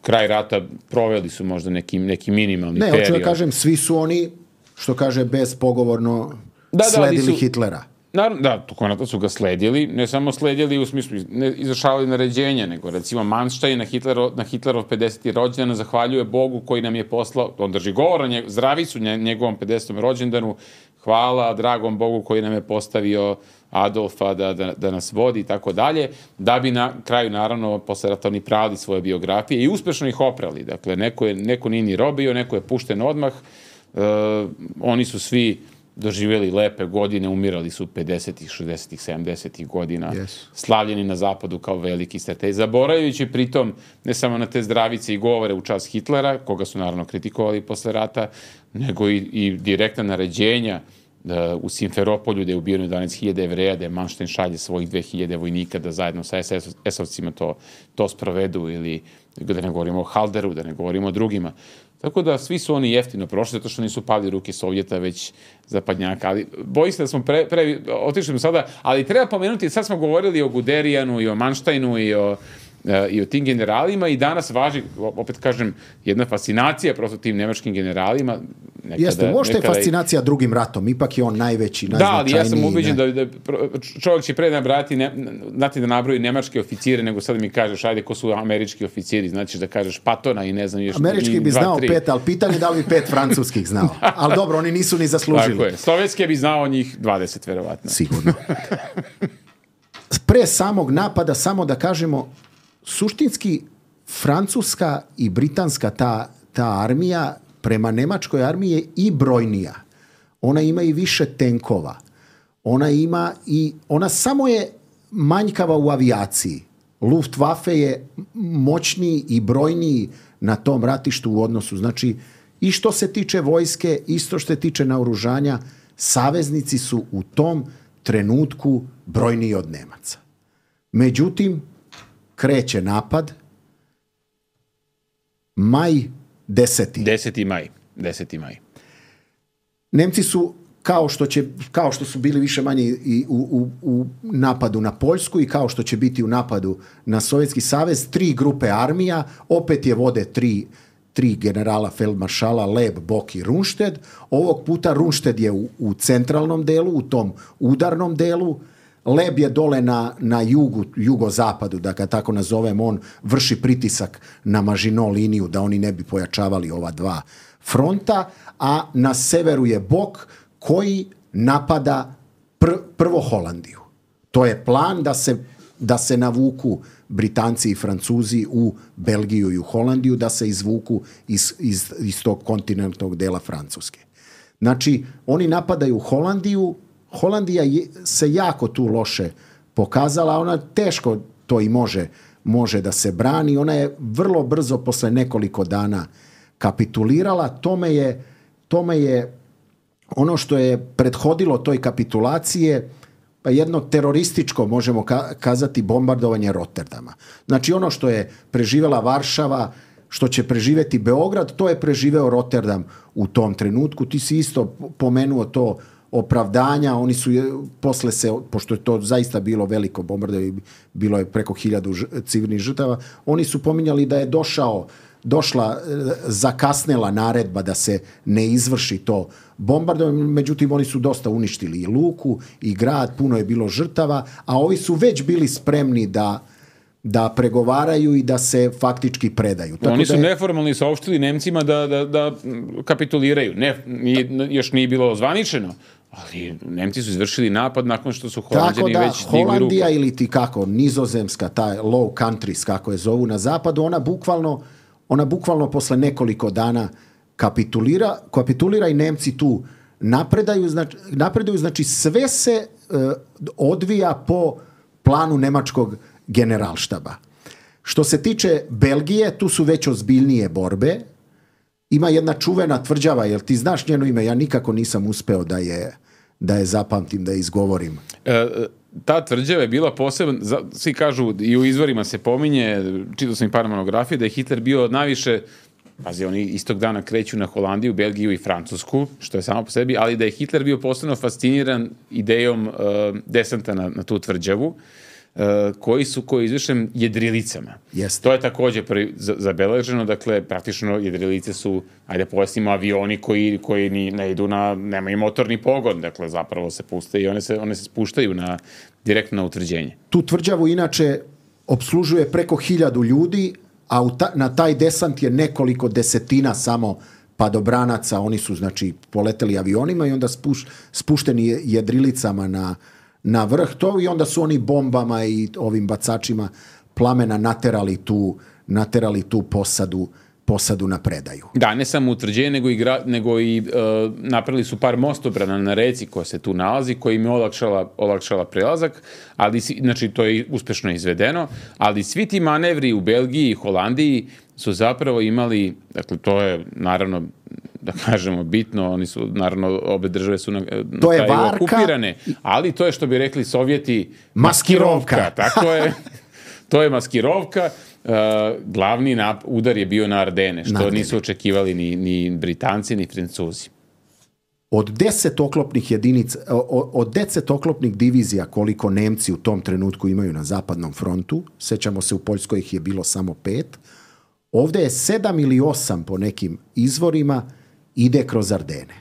kraj rata proveli su možda neki, neki minimalni ne, period. Ne, hoću da kažem, svi su oni, što kaže, bespogovorno da, sledili da, su, Hitlera. Naravno, da, to su ga sledili, ne samo sledili u smislu, ne izvršavali naređenja, nego recimo Manstein na, Hitlero, na Hitlerov pedeseti rođendan zahvaljuje Bogu koji nam je poslao, on drži govor, nje, zdravi su nje, njegovom pedesetom rođendanu, hvala dragom Bogu koji nam je postavio Adolfa da, da, da nas vodi i tako dalje, da bi na kraju, naravno, posle rata oni pravili svoje biografije i uspešno ih oprali. Dakle, neko, je, neko nije ni robio, neko je pušten odmah, uh, oni su svi doživjeli lepe godine, umirali su pedesetih, šezdesetih, sedamdesetih godina, yes. Slavljeni na zapadu kao veliki strateg, zaboravljajući pritom ne samo na te zdravice i govore u čast Hitlera, koga su naravno kritikovali posle rata, nego i, i direktna naređenja da, u Simferopolju, gde je ubijeno jedanaest hiljada Jevreja, da je Manstein šalje svojih dve hiljade vojnika da zajedno sa es esovcima to, to sprovedu, ili da ne govorimo o Halderu, da ne govorimo o drugima. Tako da svi su oni jeftino prošli, zato što nisu pali ruke Sovjeta, već zapadnjaka. Ali bojim se da smo pre, pre, otišli smo sada, ali treba pomenuti, sad smo govorili o Guderijanu i o Mansteinu i o, i o tim generalima i danas važi, opet kažem, jedna fascinacija prosto tim nemačkim generalima. Nekada, Jeste, možda nekada je fascinacija i... drugim ratom, ipak je on najveći, najznačajniji. Da, ali ja sam ubeđen ne... da, da čovjek će pre nabrati, ne, znati da nabroji nemačke oficire, nego sad mi kažeš, ajde, ko su američki oficiri, znači da kažeš Patona i ne znam još... Američki bi dva, znao tri. pet, ali pitanje da li bi pet francuskih znao. Ali dobro, oni nisu ni zaslužili. Tako je, slovenske bi znao njih dvadeset, verovatno. Sigurno. Pre samog napada, samo da kažemo, suštinski francuska i britanska ta, ta armija prema nemačkoj armiji je i brojnija. Ona ima i više tenkova. Ona ima i ona samo je manjkava u avijaciji. Luftwaffe je moćniji i brojniji na tom ratištu u odnosu. Znači, i što se tiče vojske, isto što se tiče naoružanja, saveznici su u tom trenutku brojniji od Nemaca. Međutim, kreće napad. Maj deseti. Deseti maj. Deseti maj. Nemci su, kao što, će, kao što su bili više manje i u, u, u napadu na Poljsku i kao što će biti u napadu na Sovjetski savez, tri grupe armija, opet je vode tri, tri generala feldmaršala, Leb, Bok i Rundstedt. Ovog puta Rundstedt je u, u centralnom delu, u tom udarnom delu. Leb je dole na, na jugu, jugozapadu, da ga tako nazovem, on vrši pritisak na Maginot liniju da oni ne bi pojačavali ova dva fronta, a na severu je Bok koji napada pr, prvo Holandiju. To je plan da se, da se navuku Britanci i Francuzi u Belgiju i u Holandiju, da se izvuku iz, iz, iz tog kontinentnog dela Francuske. Znači, oni napadaju Holandiju. Holandija je, se jako tu loše pokazala, ona teško to i može, može da se brani. Ona je vrlo brzo posle nekoliko dana kapitulirala. Tome je, tome je ono što je prethodilo toj kapitulacije, pa jedno terorističko, možemo kazati, bombardovanje Rotterdama. Znači ono što je preživela Varšava, što će preživeti Beograd, to je preživeo Rotterdam u tom trenutku. Ti si isto pomenuo to opravdanja, oni su posle se, pošto je to zaista bilo veliko bombardovanje, bilo je preko hiljadu civilnih žrtava, oni su pominjali da je došao, došla zakasnela naredba da se ne izvrši to bombardovanje, međutim oni su dosta uništili i luku i grad, puno je bilo žrtava, a ovi su već bili spremni da da pregovaraju i da se faktički predaju. Tako Oni su da je... neformalni saopštili Nemcima da, da, da kapituliraju. Ne, nije, još nije bilo zvaničeno, ali Nemci su izvršili napad nakon što su Holanđani da, već digli ruku. Holandija ili ti kako, Nizozemska, taj low countries, kako je zovu na zapadu, ona bukvalno, ona bukvalno posle nekoliko dana kapitulira, kapitulira i Nemci tu napredaju, znači, napreduju, znači sve se uh, odvija po planu nemačkog generalštaba. Što se tiče Belgije, tu su već ozbiljnije borbe. Ima jedna čuvena tvrđava, jel ti znaš njeno ime? Ja nikako nisam uspeo da je, da je zapamtim, da je izgovorim. E, ta tvrđava je bila posebna, svi kažu, i u izvorima se pominje, čitao sam i par monografije, da je Hitler bio najviše, pazi, oni istog dana kreću na Holandiju, Belgiju i Francusku, što je samo po sebi, ali da je Hitler bio posebno fasciniran idejom uh, desanta na, na tu tvrđavu, uh, koji su, koji izvršen jedrilicama. Jeste. To je također prvi zabeleženo, dakle, praktično jedrilice su, ajde pojasnimo, avioni koji, koji ni, ne idu na, nemaju motorni pogon, dakle, zapravo se puste i one se, one se spuštaju na, direktno na utvrđenje. Tu tvrđavu inače opslužuje preko hiljadu ljudi, a u ta, na taj desant je nekoliko desetina samo padobranaca, oni su znači poleteli avionima i onda spuš, spušteni jedrilicama na, na vrh to i onda su oni bombama i ovim bacačima plamena naterali tu, naterali tu posadu, posadu na predaju. Da, ne samo utvrđenje, nego i, gra, nego i uh, napravili su par mostobrana na reci koja se tu nalazi, koja im je olakšala, olakšala prelazak, ali, znači, to je uspešno izvedeno, ali svi ti manevri u Belgiji i Holandiji su zapravo imali, dakle, to je naravno, da kažemo, bitno, oni su, naravno, obe države su na, na to je varka, okupirane, ali to je, što bi rekli Sovjeti, maskirovka. maskirovka. Tako je, to je maskirovka. Uh, glavni nap- udar je bio na Ardene, što na nisu očekivali ni, ni Britanci, ni Francuzi. Od deset oklopnih jedinica, od deset oklopnih divizija koliko Nemci u tom trenutku imaju na zapadnom frontu, sećamo se u Poljskoj ih je bilo samo pet, ovdje je sedam ili osam po nekim izvorima ide kroz Ardene.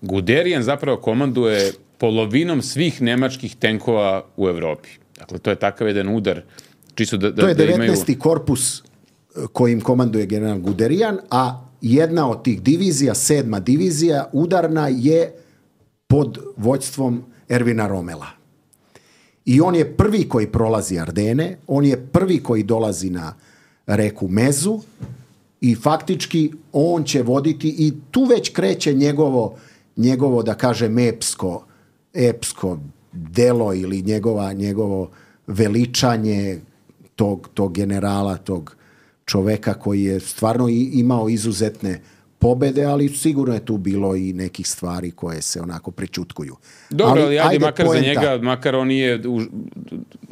Guderian zapravo komanduje polovinom svih nemačkih tenkova u Evropi. Dakle, to je takav jedan udar. Čisto da, da, to je devetnaesti da imaju... korpus kojim komanduje general Guderian, a jedna od tih divizija, sedma divizija, udarna je pod vođstvom Ervina Romela. I on je prvi koji prolazi Ardene, on je prvi koji dolazi na reku Mezu i faktički on će voditi i tu već kreće njegovo, njegovo da kažem, epsko, epsko delo ili njegova, njegovo veličanje tog, tog generala, tog čoveka koji je stvarno i, imao izuzetne pobede, ali sigurno je tu bilo i nekih stvari koje se onako prečutkuju. Dobro, ali, ali ajde, ajde makar poenta. Za njega, makar on nije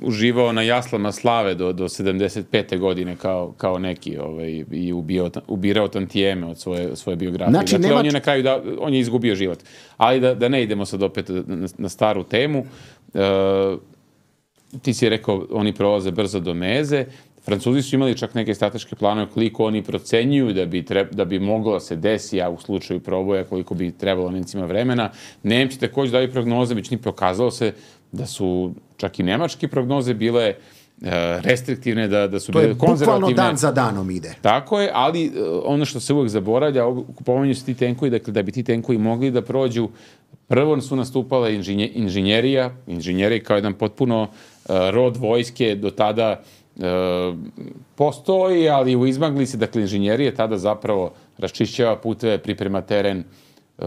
uživao na jaslama slave do, do sedamdeset pete godine kao, kao neki ovaj, i ubio, ubirao tantijeme od svoje, svoje biografije. Znači, dakle, nema... on je na kraju da, on je izgubio život. Ali da, da ne idemo sad opet na, na staru temu, uh, ti si rekao, oni prolaze brzo do Meze. Francuzi su imali čak neke strateške planove koliko oni procenjuju da bi, treb, da bi moglo se desi, a u slučaju proboja koliko bi trebalo Nemcima vremena. Nemci također daju prognoze, već ni pokazalo se da su čak i nemačke prognoze bile e, restriktivne, da, da su to bile konzervativne. To je bukvalno dan za danom ide. Tako je, ali e, ono što se uvek zaboravlja, pominju se ti tenkovi, dakle da bi ti tenkovi mogli da prođu, prvo su nastupale inženje, inženjerija, inženjerija kao jedan potpuno e, rod vojske do tada E, postoji, ali u izmaglici, dakle, inženjerije tada zapravo raščišćava puteve, priprema teren, e,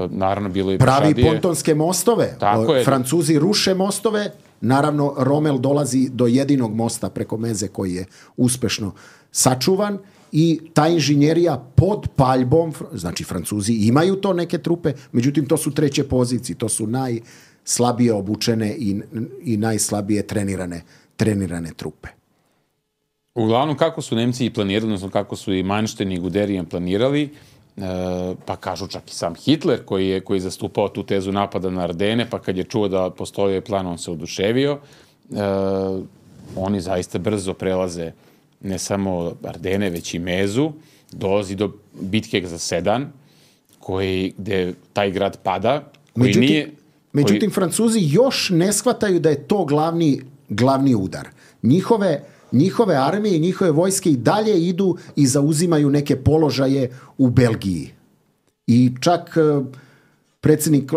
naravno bilo i pravi pešadije. pontonske mostove. Tako je. Francuzi ruše mostove, naravno Rommel dolazi do jedinog mosta preko Meze koji je uspešno sačuvan i ta inženjerija pod paljbom, znači Francuzi imaju to neke trupe, međutim to su treće pozicije, to su najslabije obučene i, i najslabije trenirane, trenirane trupe. Uglavnom, kako su Nemci i planirali, odnosno kako su i Manštajn i Guderian planirali, e, pa kažu čak i sam Hitler koji je, koji je zastupao tu tezu napada na Ardene, pa kad je čuo da postoji plan, on se oduševio. E, oni zaista brzo prelaze ne samo Ardene, već i Mezu, dolazi do bitke za Sedan, koji, gde taj grad pada, koji međutim, nije... Međutim, koji... Francuzi još ne shvataju da je to glavni, glavni udar. Njihove Njihove armije i njihove vojske i dalje idu i zauzimaju neke položaje u Belgiji. I čak predsjednik,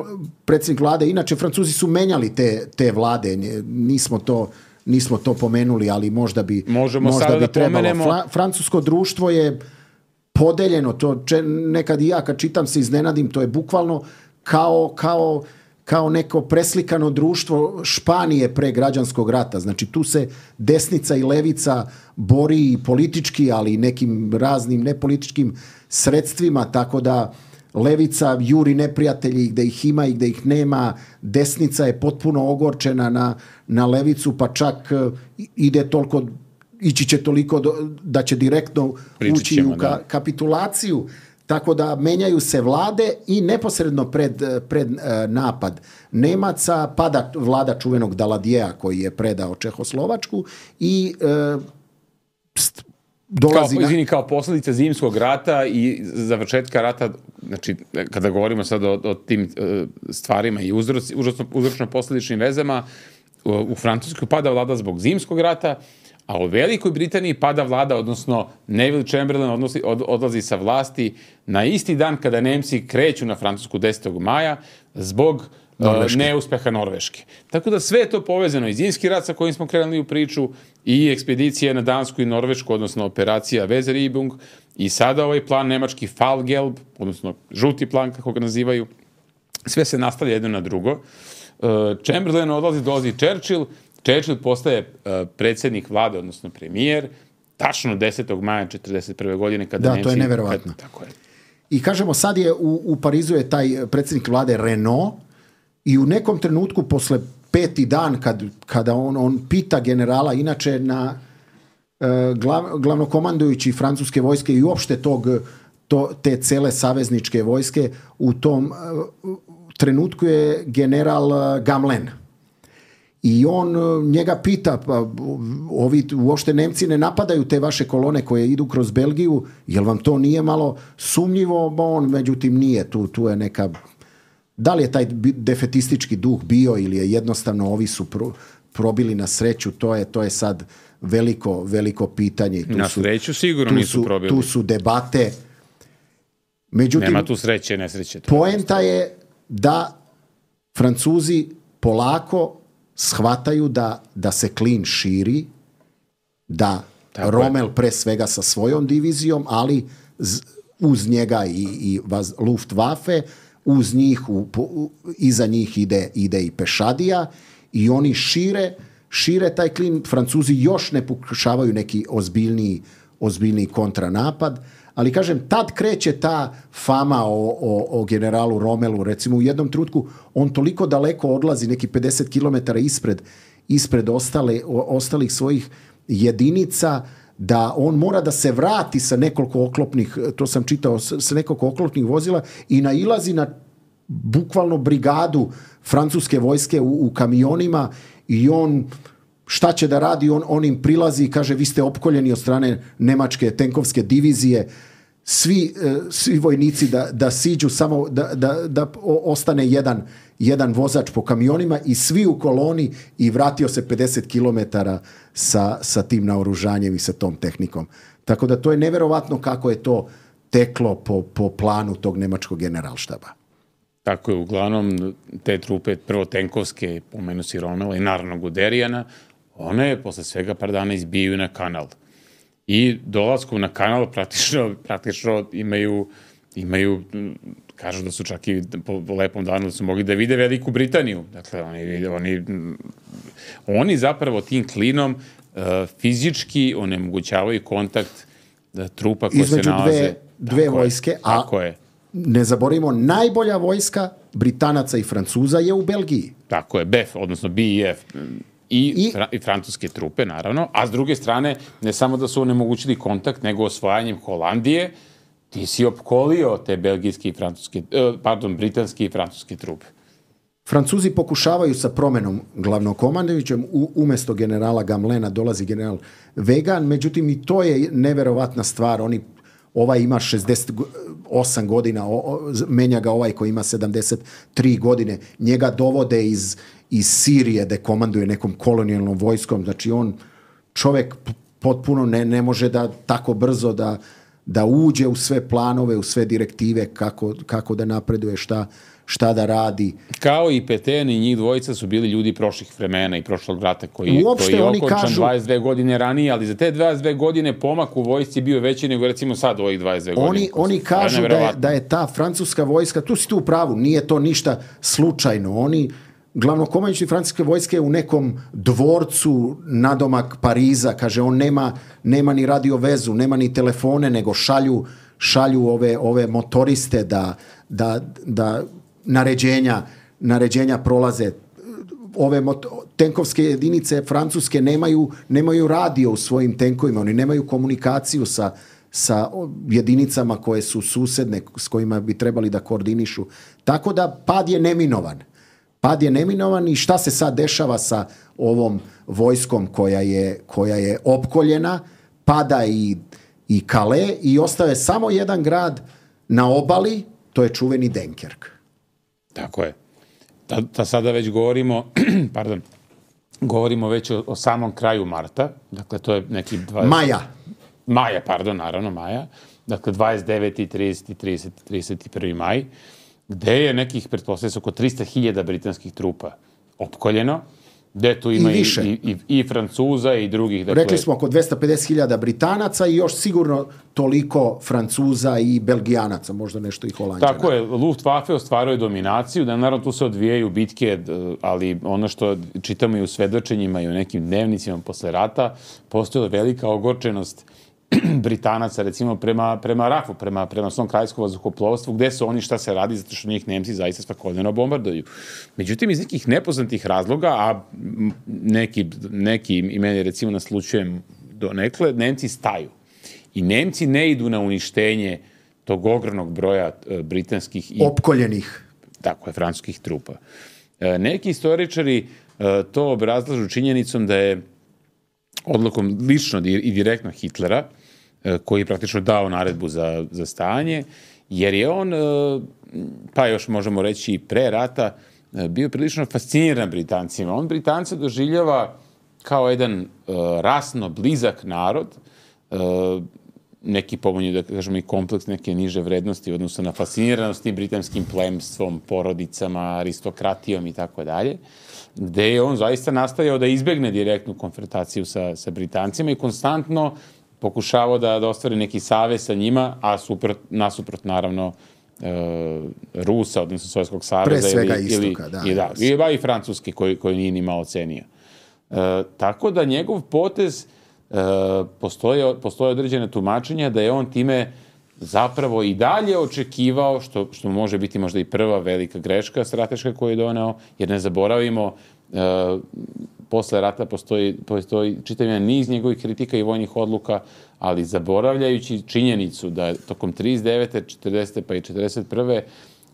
predsjednik vlade, inače Francuzi su menjali te, te vlade, nismo to, nismo to pomenuli, ali možda bi, Možemo možda bi da trebalo. Pomenemo... Fra, francusko društvo je podeljeno, to če, nekad i ja kad čitam se iznenadim, to je bukvalno kao, kao kao neko preslikano društvo Španije pre građanskog rata. Znači tu se desnica i levica bori politički, ali i nekim raznim nepolitičkim sredstvima, tako da levica juri neprijatelji gde ih ima i gde ih nema, desnica je potpuno ogorčena na, na levicu, pa čak ide toliko, ići će toliko do, da će direktno Pričat ući ćemo, u ka, da. kapitulaciju. Tako da menjaju se vlade i neposredno pred, pred uh, napad Nemaca pada vlada čuvenog Daladijeja koji je predao Čehoslovačku i uh, st- dolazi... Kao, izvini, kao posljedica zimskog rata i završetka rata, znači, kada govorimo sad o, o tim uh, stvarima i uzroci, uzročno-posljedičnim vezama, u, u Francuskoj pada vlada zbog zimskog rata, a u Velikoj Britaniji pada vlada, odnosno Neville Chamberlain odnosi, od, odlazi sa vlasti na isti dan kada Nemci kreću na Francusku desetog maja zbog uh, neuspeha Norveške. Tako da sve je to povezano i zimski rat sa kojim smo krenuli u priču i ekspedicije na Dansku i Norvešku, odnosno operacija Weserübung i sada ovaj plan nemački Fallgelb, odnosno žuti plan kako ga nazivaju. Sve se nastavlja jedno na drugo. Uh, Chamberlain odlazi, dolazi Churchill, Churchill postaje uh, predsjednik vlade, odnosno premijer, tačno desetog maja četrdeset prve godine kada da, Nemci... to je neverovatno. Kad, tako je. I kažemo, sad je u, u Parizu je taj predsjednik vlade Renault i u nekom trenutku posle peti dan kad, kada on, on pita generala, inače na uh, glav, glavnokomandujući francuske vojske i uopšte tog, to, te cele savezničke vojske, u tom uh, trenutku je general uh, Gamelin. I on njega pita, pa ovi uopšte Nemci ne napadaju te vaše kolone koje idu kroz Belgiju, jel vam to nije malo sumnjivo? On međutim nije, tu, tu je neka, da li je taj defetistički duh bio ili je jednostavno ovi su pro, probili na sreću, to je, to je sad veliko, veliko pitanje. Tu na su, sreću sigurno tu nisu su, probili. Tu su debate. Međutim, nema tu sreće, nesreće. Poenta je da Francuzi polako shvataju da, da se klin širi, da tako Rommel je. Pre svega sa svojom divizijom, ali z, uz njega i, i vaz, Luftwaffe, uz njih, u, u, iza njih ide, ide i pešadija i oni šire, šire taj klin. Francuzi još ne pokušavaju neki ozbiljniji, ozbiljniji kontranapad, ali kažem, tad kreće ta fama o, o, o generalu Rommelu, recimo u jednom trenutku on toliko daleko odlazi, neki pedeset kilometara ispred, ispred ostale, o, ostalih svojih jedinica, da on mora da se vrati sa nekoliko oklopnih, to sam čitao, sa nekoliko oklopnih vozila i nailazi na bukvalno brigadu francuske vojske u, u kamionima i on... Šta će da radi? On, on im prilazi i kaže vi ste opkoljeni od strane nemačke tenkovske divizije. Svi, svi vojnici da, da siđu, samo da, da, da ostane jedan, jedan vozač po kamionima i svi u koloni i vratio se pedeset kilometara sa, sa tim naoružanjem i sa tom tehnikom. Tako da to je neverovatno kako je to teklo po, po planu tog nemačkog generalštaba. Tako je, uglavnom te trupe, prvo tenkovske, pomenu si Rommela i naravno Guderijana, one posle svega par dana izbijaju na kanal. I dolaskom na kanal praktično, praktično imaju, imaju, kažu da su čak i po, po lepom danu da su mogli da vide Veliku Britaniju. Dakle, oni, oni, oni zapravo tim klinom uh, fizički onemogućavaju kontakt da, trupa koje između se nalaze... Između dve, dve vojske, je, a tako je. Ne zaboravimo, najbolja vojska Britanaca i Francuza je u Belgiji. Tako je, B E F, odnosno B I F. I, I, fra, i francuske trupe, naravno, a s druge strane, ne samo da su onemogućili kontakt, nego osvajanjem Holandije, ti si opkolio te belgijske i francuske, pardon, britanske i francuske trupe. Francuzi pokušavaju sa promenom glavnokomandujućem, umesto generala Gamelina dolazi general Weygand, međutim i to je neverovatna stvar, oni ovaj ima šezdeset osam godina, o, o, menja ga ovaj koji ima sedamdeset tri godine, njega dovode iz iz Sirije da komanduje nekom kolonijalnom vojskom, znači on čovjek potpuno ne, ne može da tako brzo da, da uđe u sve planove, u sve direktive kako, kako da napreduje, šta, šta da radi. Kao i Petain i njih dvojica su bili ljudi prošlih vremena i prošlog rata koji, Uopšte, koji je oni okončan kažu, dvadeset dve godine ranije, ali za te dvadeset dve godine pomak u vojsci bio veći nego recimo sad ovih dvadeset dve godine. Oni, oni kažu da je, da je ta francuska vojska, tu si tu u pravu, nije to ništa slučajno, oni glavnokomandujući francuske vojske u nekom dvorcu nadomak Pariza, kaže on nema, nema ni radio vezu, nema ni telefone, nego šalju, šalju ove, ove motoriste da, da, da naređenja, naređenja prolaze. Ove mot- tenkovske jedinice francuske nemaju, nemaju radio u svojim tenkovima, oni nemaju komunikaciju sa, sa jedinicama koje su susedne, s kojima bi trebali da koordinišu. Tako da pad je neminovan. Pad je neminovan i šta se sad dešava sa ovom vojskom koja je, koja je opkoljena, pada i, i Calais i ostaje samo jedan grad na obali, to je čuveni Dunkirk. Tako je. Da, da sada već govorimo, pardon, govorimo već o, o samom kraju marta, dakle to je neki dvadeset Maja. Maja, pardon, naravno, maja. Dakle, dvadeset deveti, trideseti, trideseti, trideset prvi maj, gde je nekih, pretpostavlja se, oko trista hiljada britanskih trupa opkoljeno, gde tu ima i, i, i, i Francuza i drugih. Dakle, rekli smo oko dvesta pedeset hiljada Britanaca i još sigurno toliko Francuza i Belgijanaca, možda nešto i Holanđana. Tako je, Luftwaffe ostvaruje dominaciju, da naravno tu se odvijaju bitke, ali ono što čitamo i u svedočenjima i u nekim dnevnicima posle rata, postoji velika ogorčenost Britanaca, recimo, prema, prema Rafu, prema, prema svom kraljevskom vazduhoplovstvu, gde su oni, šta se radi, zato što njih Nemci zaista svakodnevno bombarduju. Međutim, iz nekih nepoznatih razloga, a neki, neki i meni, recimo, naslučujem donekle, Nemci staju. I Nemci ne idu na uništenje tog ogromnog broja britanskih i opkoljenih. Tako je, francuskih trupa. Neki istoričari to obrazlažu činjenicom da je odlukom lično i direktno Hitlera, koji je praktično dao naredbu za, za stanje, jer je on, pa još možemo reći i pre rata, bio prilično fasciniran Britancima. On Britance doživljava kao jedan rasno blizak narod, neki pomonju, da kažemo, i kompleks neke niže vrednosti u odnosu na fasciniranost tim britanskim plemstvom, porodicama, aristokratijom i tako dalje, gde je on zaista nastojao da izbegne direktnu konfrontaciju sa, sa Britancima i konstantno pokušavao da, da ostvari neki savez sa njima, a suprot, nasuprot naravno e, Rusa, odnosno Sovjetskog saveza. Pre svega ili, istoka, ili, da. I, da, i, ba, i Francuski koji, koji nije ni malo cenio. E, tako da njegov potez e, postoje, postoje određene tumačenja da je on time zapravo i dalje očekivao, što, što može biti možda i prva velika greška strateška koju je doneo, jer ne zaboravimo, e, posle rata postoji, postoji čitav jedan niz njegovih kritika i vojnih odluka, ali zaboravljajući činjenicu da tokom trideset devete, četrdesete pa i četrdeset prve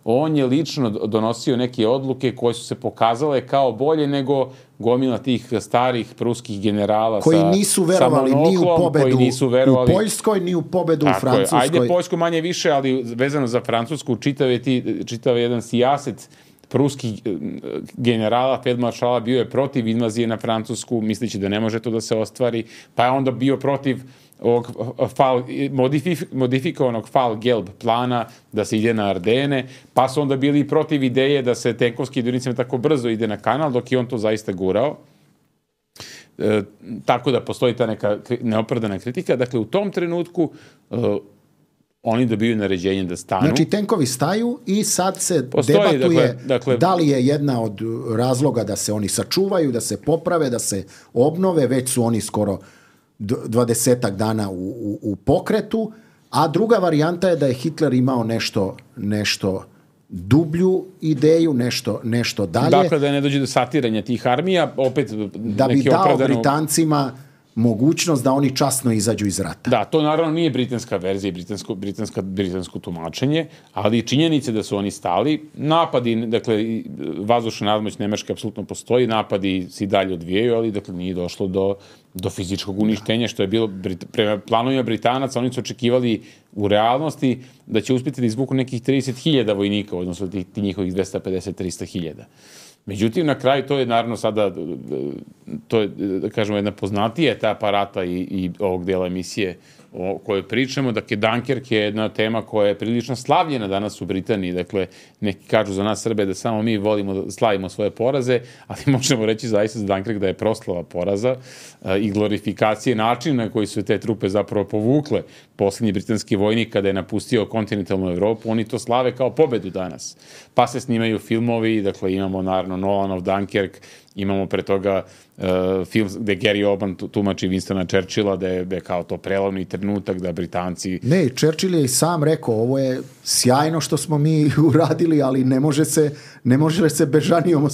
on je lično donosio neke odluke koje su se pokazale kao bolje nego gomila tih starih pruskih generala koji sa, nisu verovali sa ni u pobedu nisu verovali, u Poljskoj, ni u pobedu tako u Francuskoj. Je. Ajde Poljsku manje više, ali vezano za Francusku čitav je, ti, čitav je jedan sijaset pruskih generala, feldmaršala bio je protiv invazije na Francusku, misleći da ne može to da se ostvari, pa je onda bio protiv ovog fal, modifik, modifikovanog Fall-Gelb plana da se ide na Ardene, pa su onda bili protiv ideje da se tenkovski jedinicama tako brzo ide na kanal, dok je on to zaista gurao. E, tako da postoji ta neka neopravdana kritika. Dakle, u tom trenutku e, oni dobiju naređenje da stanu. Znači, tenkovi staju i sad se postoji, debatuje dakle, dakle, da li je jedna od razloga da se oni sačuvaju, da se poprave, da se obnove, već su oni skoro dvadesetak dana u, u, u pokretu, a druga varijanta je da je Hitler imao nešto, nešto dublju ideju, nešto, nešto dalje. Dakle, da ne dođe do satiranja tih armija, opet da bi dao opravdano Britancima mogućnost da oni časno izađu iz rata. Da, to naravno nije britanska verzija i britansko, britanska, britansko tumačenje, ali činjenice da su oni stali, napadi, dakle, vazdušna nadmoć Nemačke apsolutno postoji, napadi se i dalje odvijaju, ali dakle nije došlo do, do fizičkog uništenja, što je bilo prema planovima Britanaca, oni su očekivali u realnosti da će uspjeti da izvuku nekih trideset hiljada vojnika, odnosno ti, ti njihovih dvesta pedeset do trista hiljada. Međutim, na kraju to je naravno sada, to je, da kažemo, jedna poznatija etapa rata i, i ovog dela emisije o kojoj pričamo. Dakle, Dunkirk je jedna tema koja je prilično slavljena danas u Britaniji. Dakle, neki kažu za nas Srbe da samo mi volimo da slavimo svoje poraze, ali možemo reći zaista za Dunkirk da je proslava poraza i glorifikacije načina na koji su te trupe zapravo povukle posljednji britanski vojnik kada je napustio kontinentalnu Evropu. Oni to slave kao pobedu danas. Pa se snimaju filmovi, dakle imamo naravno Nolanov Dunkirk, Imamo pre toga uh, film gde Gary Oldman tumači Winstona Churchilla, da je, da je kao to prelovni trenutak, da Britanci... Ne, Churchill je i sam rekao, ovo je sjajno što smo mi uradili, ali ne može se, ne može se Bežanijom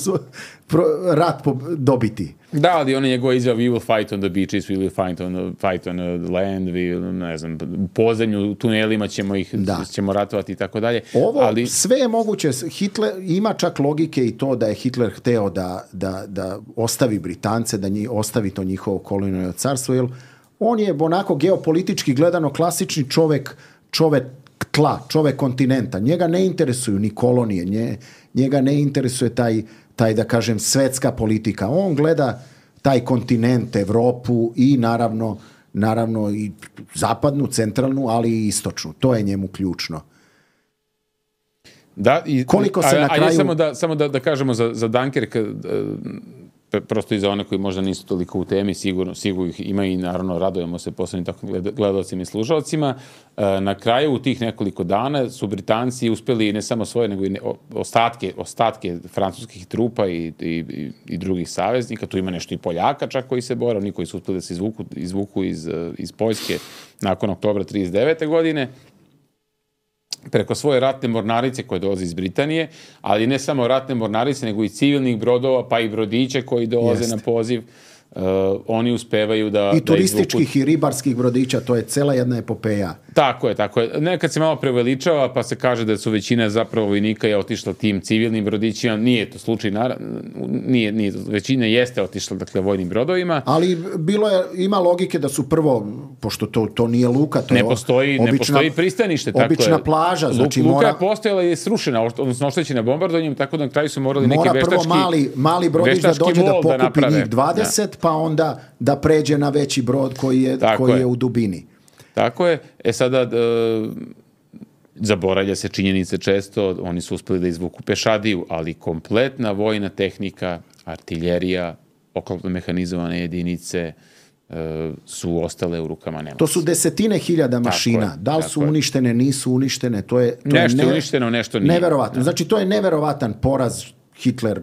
rat dobiti. Da, ali on je njegova izjava, we will fight on the beaches, we will fight on, fight on the land, we, ne znam, u podzemlju, u tunelima ćemo ih, da. ćemo ratovati i tako dalje. Ovo ali... sve je moguće. Hitler, ima čak logike i to da je Hitler hteo da, da, da ostavi Britance, da njih, ostavi to njihovo kolonijalno carstvo, jer on je onako geopolitički gledano klasični čovek, čovek tla, čovek kontinenta. Njega ne interesuju ni kolonije, nje, njega ne interesuje taj taj, da kažem, svetska politika. On gleda taj kontinent, Evropu i naravno, naravno i zapadnu, centralnu, ali i istočnu. To je njemu ključno. Da, i, koliko se a, na kraju... A samo da, samo da, da kažemo za, za Dunkirk, prosto i za one koji možda nisu toliko u temi, sigurno, sigurno ih ima i naravno radujemo se posebnim tako gledalcima i slušalcima. Na kraju u tih nekoliko dana su Britanci uspeli ne samo svoje, nego i ostatke, ostatke francuskih trupa i, i, i drugih saveznika. Tu ima nešto i Poljaka čak koji se bore, oni koji su uspeli da se izvuku, izvuku iz, iz Poljske nakon oktobra trideset devete godine. Preko svoje ratne mornarice koje dolaze iz Britanije, ali ne samo ratne mornarice, nego i civilnih brodova, pa i brodiće koji dolaze Jest. na poziv. Uh, oni uspevaju da... I turističkih da i ribarskih brodića, to je cela jedna epopeja. Tako je, tako je. Nekad se malo preveličava, pa se kaže da su većina zapravo vojnika je otišla tim civilnim brodićima. Nije to slučaj, nije, nije, većina jeste otišla, dakle, vojnim brodovima. Ali bilo je, ima logike da su prvo, pošto to, to nije luka, to ne je postoji, obična, ne postoji pristanište. Tako obična je. plaža. Znači luka mora, je postojala i je srušena, odnosno oštećena bombardovanjem, tako da na kraju su morali neki veštački... Mora prvo mali, mali brodić da dođe da pokupi da njih dvadeset, da. Pa onda da pređe na veći brod koji je, koji je. je u dubini. Tako je. E sada, e, zaboravlja se činjenice često, oni su uspeli da izvuku pešadiju, ali kompletna vojna tehnika, artiljerija, oklopno mehanizovane jedinice e, su ostale u rukama Nemaca. To su desetine hiljada mašina. Tako je, da li su je. uništene, nisu uništene, to je... To nešto je ne, uništeno, nešto nije. Neverovatno. Da. Znači, to je neverovatan poraz. Hitler,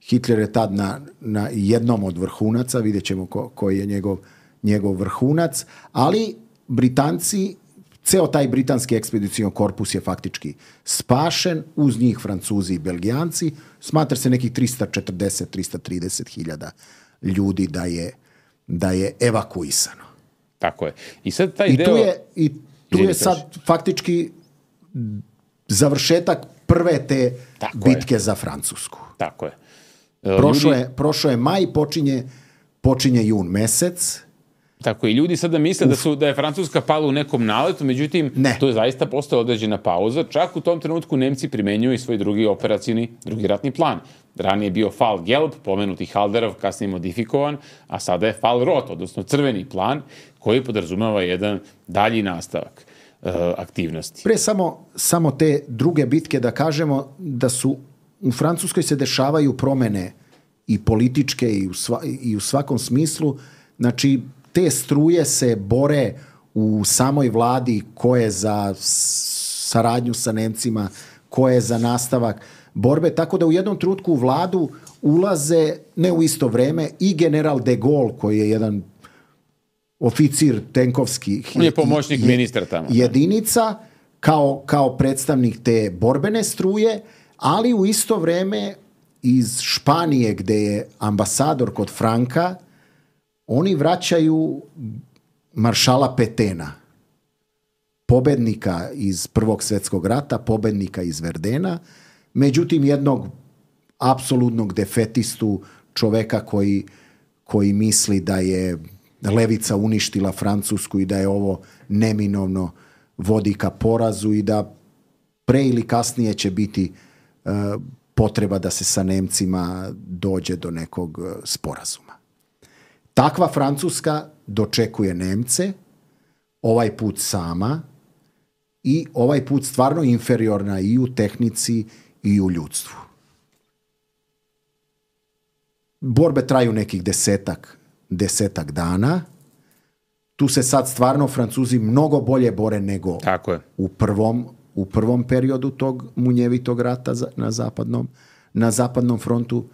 Hitler je tad na, na jednom od vrhunaca, vidjet ćemo ko, koji je njegov, njegov vrhunac, ali Britanci, ceo taj britanski ekspedicijon korpus je faktički spašen, uz njih Francuzi i Belgijanci, smatra se nekih trista četrdeset do trista trideset hiljada ljudi da je, da je evakuisano. Tako je. I sad taj I deo... tu je, i tu je sad faktički završetak prve te Tako bitke je. za Francusku. Tako je. Prošlo je, prošlo je maj, počinje, počinje jun mesec. Tako i ljudi sada misle da su da je Francuska pala u nekom naletu, međutim ne. to je zaista postala određena pauza. Čak u tom trenutku Nemci primenjuju i svoj drugi operacioni, drugi ratni plan. Ranije je bio Fall Gelb, pomenuti Halderov, kasnije modifikovan, a sada je Fall Rot, odnosno crveni plan, koji podrazumeva jedan dalji nastavak uh, aktivnosti. Pre samo, samo te druge bitke da kažemo da su u Francuskoj se dešavaju promene i političke i u, sva, i u svakom smislu. Znači, te struje se bore u samoj vladi ko je za saradnju sa Nemcima, ko je za nastavak borbe, tako da u jednom trenutku u vladu ulaze, ne u isto vreme, i general de Gaulle, koji je jedan oficir tenkovski. On je pomoćnik je, ministra tamo. Jedinica, kao, kao predstavnik te borbene struje, ali u isto vreme iz Španije, gde je ambasador kod Franka, oni vraćaju maršala Petena, pobednika iz Prvog svjetskog rata, pobednika iz Verdena, međutim jednog apsolutnog defetistu, čoveka koji, koji misli da je levica uništila Francusku i da je ovo neminovno vodi ka porazu i da pre ili kasnije će biti uh, potreba da se sa Nemcima dođe do nekog uh, sporazuma. Takva Francuska dočekuje Nemce, ovaj put sama i ovaj put stvarno inferiorna i u tehnici i u ljudstvu. Borbe traju nekih desetak, desetak dana. Tu se sad stvarno Francuzi mnogo bolje bore nego Tako je. u prvom, u prvom periodu tog munjevitog rata na zapadnom, na zapadnom frontu.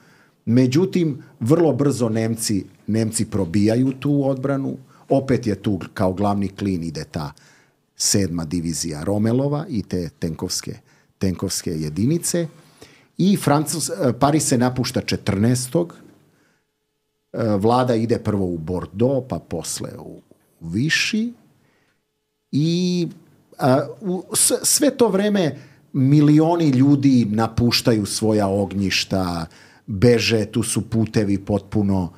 Međutim, vrlo brzo Nemci, Nemci probijaju tu odbranu. Opet je tu kao glavni klin ide ta sedma divizija Romelova i te tenkovske, tenkovske jedinice. I Francus, Pariz se napušta četrnaestog Vlada ide prvo u Bordeaux, pa posle u Vichy. I a, u, sve to vreme milioni ljudi napuštaju svoja ognjišta, beže, tu su putevi potpuno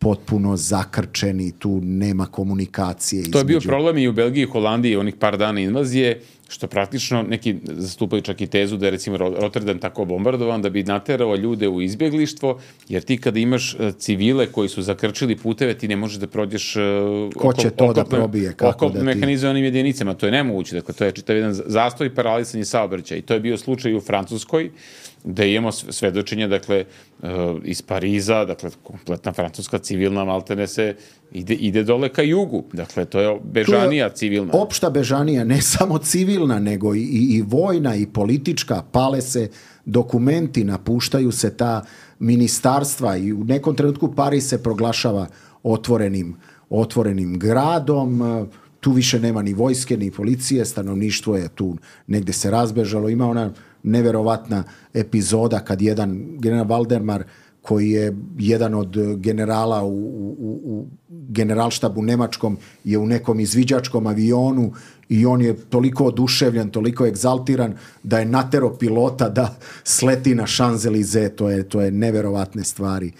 potpuno zakrčeni, tu nema komunikacije. To je bio između... problem i u Belgiji i Holandiji onih par dana invazije, što praktično neki zastupaju čak i tezu da je recimo Rotterdam tako bombardovan da bi naterao ljude u izbjeglištvo, jer ti kada imaš civile koji su zakrčili puteve, ti ne možeš da prođeš Ko će to da probije? Kako da ti... mehanizovanim jedinicama, to je nemoguće. Dakle, to je čitav jedan zastoj i paralisanje saobraćaja. I to je bio slučaj u Francuskoj, da imamo svedočenje, dakle, iz Pariza, dakle, kompletna francuska civilna maltene se ide, ide dole ka jugu. Dakle, to je bežanija civilna. Opšta bežanija, ne samo civilna, nego i, i, i vojna i politička. Pale se dokumenti, napuštaju se ta ministarstva i u nekom trenutku Pariz se proglašava otvorenim, otvorenim gradom. Tu više nema ni vojske, ni policije, stanovništvo je tu negde se razbežalo. Ima ona neverovatna epizoda kad jedan general Valdemar, koji je jedan od generala u, u, u generalštabu nemačkom, je u nekom izviđačkom avionu i on je toliko oduševljen, toliko egzaltiran da je natero pilota da sleti na Champs-Élysées. To je, to je neverovatne stvari.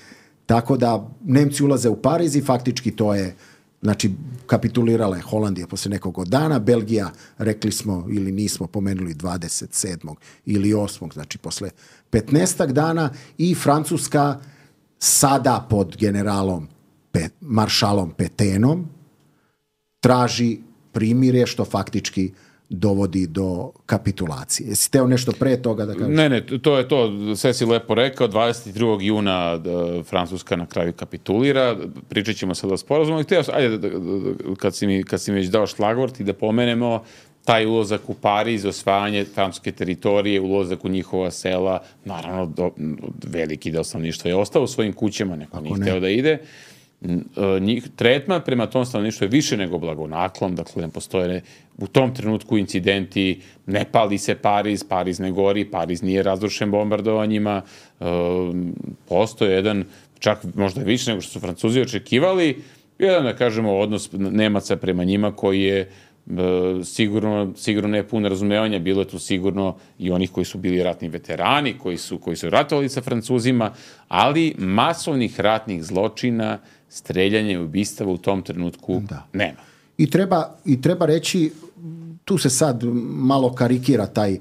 Tako da Nemci ulaze u Pariz i faktički to je, znači, kapitulirala je Holandija posle nekog dana, Belgija, rekli smo ili nismo pomenuli dvadeset sedmog ili osmog, znači posle petnaestak dana, i Francuska sada pod generalom Pe, maršalom Petenom traži primirje, što faktički dovodi do kapitulacije. Jesi teo nešto pre toga da kažeš? Ne, ne, to je to, sve si lepo rekao, dvadeset drugog juna da Francuska na kraju kapitulira, pričat ćemo sada o sporazumu, htio, ajde, da, da, da, kad, si mi, kad si mi već dao šlagvort i da pomenemo taj ulazak u Pariz, osvajanje francuske teritorije, ulazak u njihova sela, naravno, do, veliki deo stanovništva je ostao u svojim kućama, neko nije hteo da ide. Njih, tretman prema tom stanovništvu je više nego blagonaklon, dakle ne postoje ne, u tom trenutku incidenti, ne pali se Pariz, Pariz ne gori, Pariz nije razrušen bombardovanjima, e, postoje jedan, čak možda više nego što su Francuzi očekivali, jedan, da kažemo, odnos Nemaca prema njima koji je sigurno, sigurno ne puno razumevanja, bilo je tu sigurno i onih koji su bili ratni veterani, koji su, koji su ratovali sa Francuzima, ali masovnih ratnih zločina, streljanja i ubistava u tom trenutku da. nema. I treba, i treba reći, tu se sad malo karikira taj,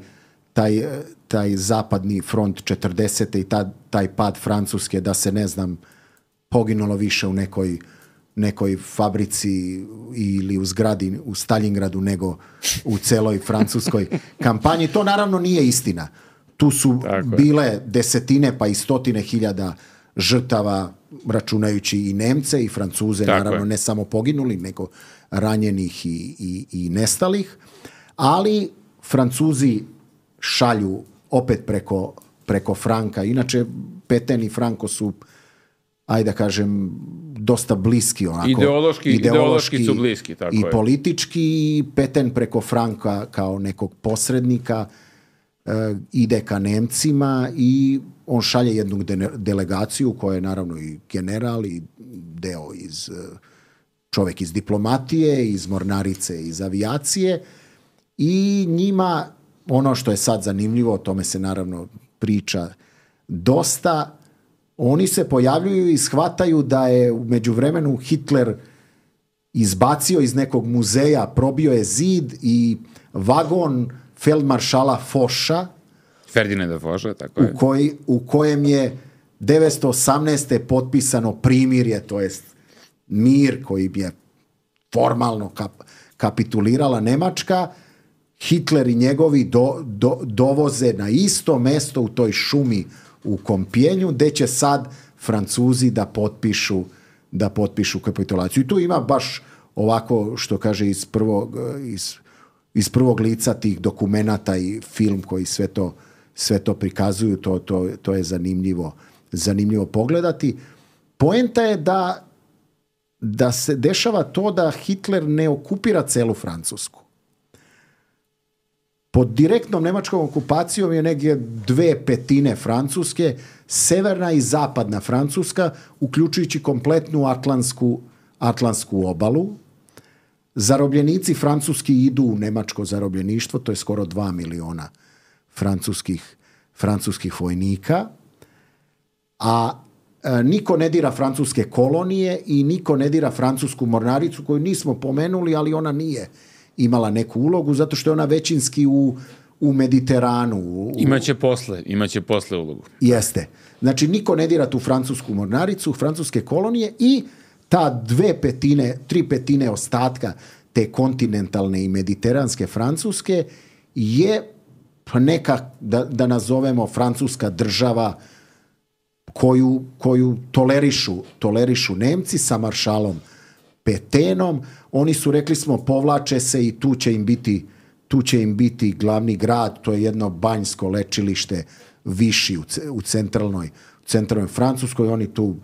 taj, taj zapadni front četrdesete i ta, taj pad Francuske, da se, ne znam, poginulo više u nekoj nekoj fabrici ili u zgradi u Stalingradu nego u celoj francuskoj kampanji. To naravno nije istina. Tu su bile desetine pa i stotine hiljada žrtava, računajući i Nemce i Francuze, Tako naravno je. ne samo poginuli, nego ranjenih i, i, i nestalih. Ali Francuzi šalju opet preko, preko Franka. Inače, Petain i Franco su, ajde da kažem, dosta bliski onako. Ideološki, ideološki, ideološki su bliski, tako i je. politički. Petain preko Franka kao nekog posrednika uh, ide ka Nemcima i on šalje jednu de- delegaciju koja je naravno i general i deo iz, uh, čovek iz diplomatije, iz mornarice, iz avijacije, i njima, ono što je sad zanimljivo, o tome se naravno priča dosta, oni se pojavljuju i shvataju da je u međuvremenu Hitler izbacio iz nekog muzeja, probio je zid i vagon feldmaršala Foša, Ferdinanda Foša, tako je. U, koji, u kojem je devetsto osamnaeste potpisano primirje, to jest mir koji je formalno kap, kapitulirala Nemačka. Hitler i njegovi do, do, dovoze na isto mesto u toj šumi u Kompijenju, gde će sad Francuzi da potpišu, da potpišu kapitulaciju. I tu ima baš ovako, što kaže, iz prvog, iz, iz prvog lica tih dokumenata i film koji sve to, sve to prikazuju, to, to, to je zanimljivo zanimljivo pogledati. Poenta je da, da se dešava to da Hitler ne okupira celu Francusku. Pod direktnom nemačkom okupacijom je negdje dve petine Francuske, severna i zapadna Francuska, uključujući kompletnu Atlantsku, Atlantsku obalu. Zarobljenici francuski idu u nemačko zarobljeništvo, to je skoro dva miliona francuskih, francuskih vojnika, a e, niko ne dira francuske kolonije i niko ne dira francusku mornaricu koju nismo pomenuli, ali ona nije imala neku ulogu, zato što je ona većinski u, u Mediteranu. U, imaće posle, imaće posle ulogu. Jeste. Znači, niko ne dira tu francusku mornaricu, francuske kolonije i ta dve petine, tri petine ostatka te kontinentalne i mediteranske Francuske je neka, da, da nazovemo, francuska država koju, koju tolerišu, tolerišu Nemci sa maršalom Petenom. Oni su, rekli smo, povlače se i tu će im biti, tu će im biti glavni grad, to je jedno banjsko lečilište Viši u, u centralnoj, centralnoj Francuskoj. Oni tu,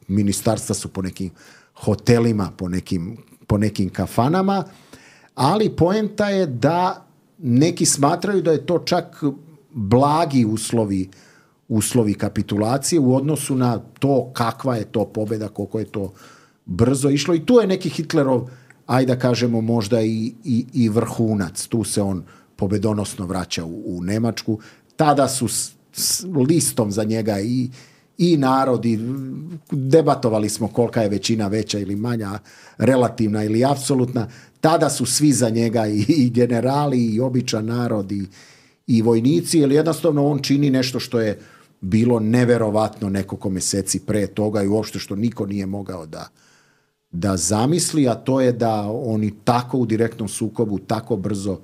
ministarstva su po nekim hotelima, po nekim, po nekim kafanama, ali poenta je da neki smatraju da je to čak blagi uslovi, uslovi kapitulacije u odnosu na to kakva je to pobjeda, koliko je to brzo išlo. I tu je neki Hitlerov, ajde da kažemo, možda i, i, i vrhunac. Tu se on pobedonosno vraća u, u Nemačku. Tada su s, s listom za njega i, i narod, i debatovali smo kolika je većina veća ili manja, relativna ili apsolutna. Tada su svi za njega, i, i generali, i običan narod, i, i vojnici, jer jednostavno on čini nešto što je bilo neverovatno nekoliko meseci pre toga i uopšte što niko nije mogao da, da zamisli, a to je da oni tako u direktnom sukobu, tako brzo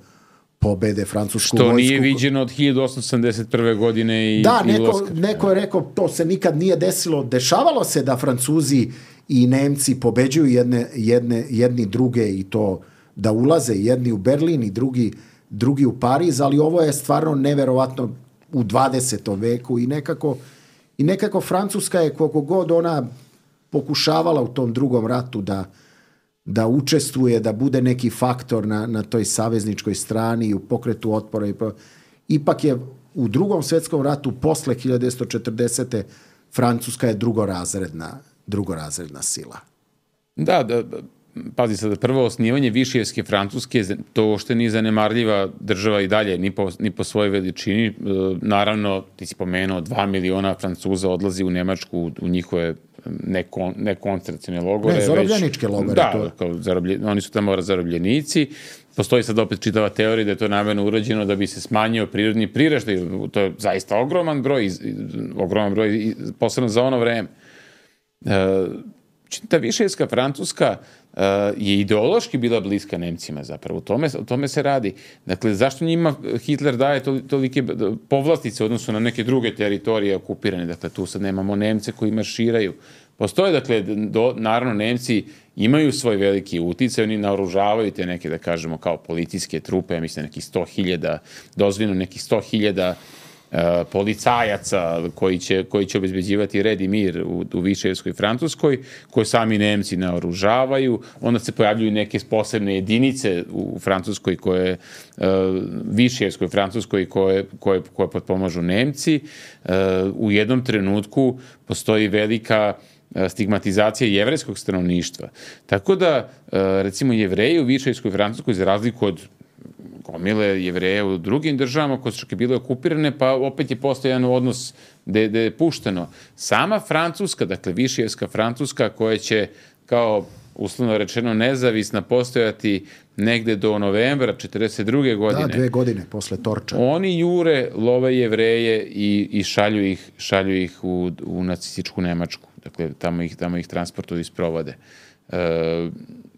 pobede francusku što vojsku. Što nije viđeno od hiljadu osamsto sedamdeset prve. godine i Da, i neko, neko je rekao, to se nikad nije desilo. Dešavalo se da Francuzi i Nemci pobeđuju jedne, jedne, jedni druge i to da ulaze jedni u Berlin i drugi, drugi u Pariz, ali ovo je stvarno neverovatno u dvadesetom veku i nekako, i nekako Francuska je, koliko god ona pokušavala u tom drugom ratu da, da učestvuje, da bude neki faktor na, na toj savezničkoj strani i u pokretu otpora. Ipak je u drugom svjetskom ratu posle hiljadu devetsto četrdesete. Francuska je drugorazredna, drugorazredna sila. Da, da, da. Pazi sad, prvo osnivanje Višijevske Francuske, to uopšte nije zanemarljiva država i dalje, ni po, ni po svojoj veličini. Naravno, ti si pomenuo, dva miliona Francuza odlazi u Nemačku, u njihove nekon, nekoncentracione logore. Ne, zarobljeničke logore. Da, to. Kao zaroblje, oni su tamo zarobljenici. Postoji sad opet čitava teorija da je to namerno urađeno da bi se smanjio prirodni priraštaj. To je zaista ogroman broj, ogroman broj, posebno za ono vreme. E, ta Višijevska Francuska uh, je ideološki bila bliska Nemcima zapravo. O tome, o tome se radi. Dakle, zašto njima Hitler daje tolike povlastice u odnosu na neke druge teritorije okupirane? Dakle, tu sad nemamo Nemce koji marširaju. Postoje, dakle, do, naravno, Nemci imaju svoj veliki uticaj, oni naoružavaju te neke, da kažemo, kao policijske trupe, ja mislim, nekih sto hiljada, dozvoljeno nekih sto hiljada Uh, policajaca koji će, koji će obezbeđivati red i mir u, u Višijevskoj Francuskoj, koje sami Nemci naoružavaju. Onda se pojavljuju neke posebne jedinice u Francuskoj koje, uh, Višijevskoj Francuskoj koje, koje, koje potpomažu Nemci. Uh, u jednom trenutku postoji velika stigmatizacija jevrejskog stanovništva. Tako da, uh, recimo, Jevreji u Višijevskoj Francuskoj, za razliku od gomile Jevreja u drugim državama koje su čak i bile okupirane, pa opet je postao jedan odnos gde je pušteno. Sama Francuska, dakle Višijevska Francuska, koja će kao uslovno rečeno nezavisna postojati negde do novembra četrdeset druge. godine. Da, dve godine posle Torča. Oni jure, love Jevreje i, i šalju ih, šalju ih u, u nacističku Nemačku. Dakle, tamo ih, tamo ih transportuju i sprovode. E,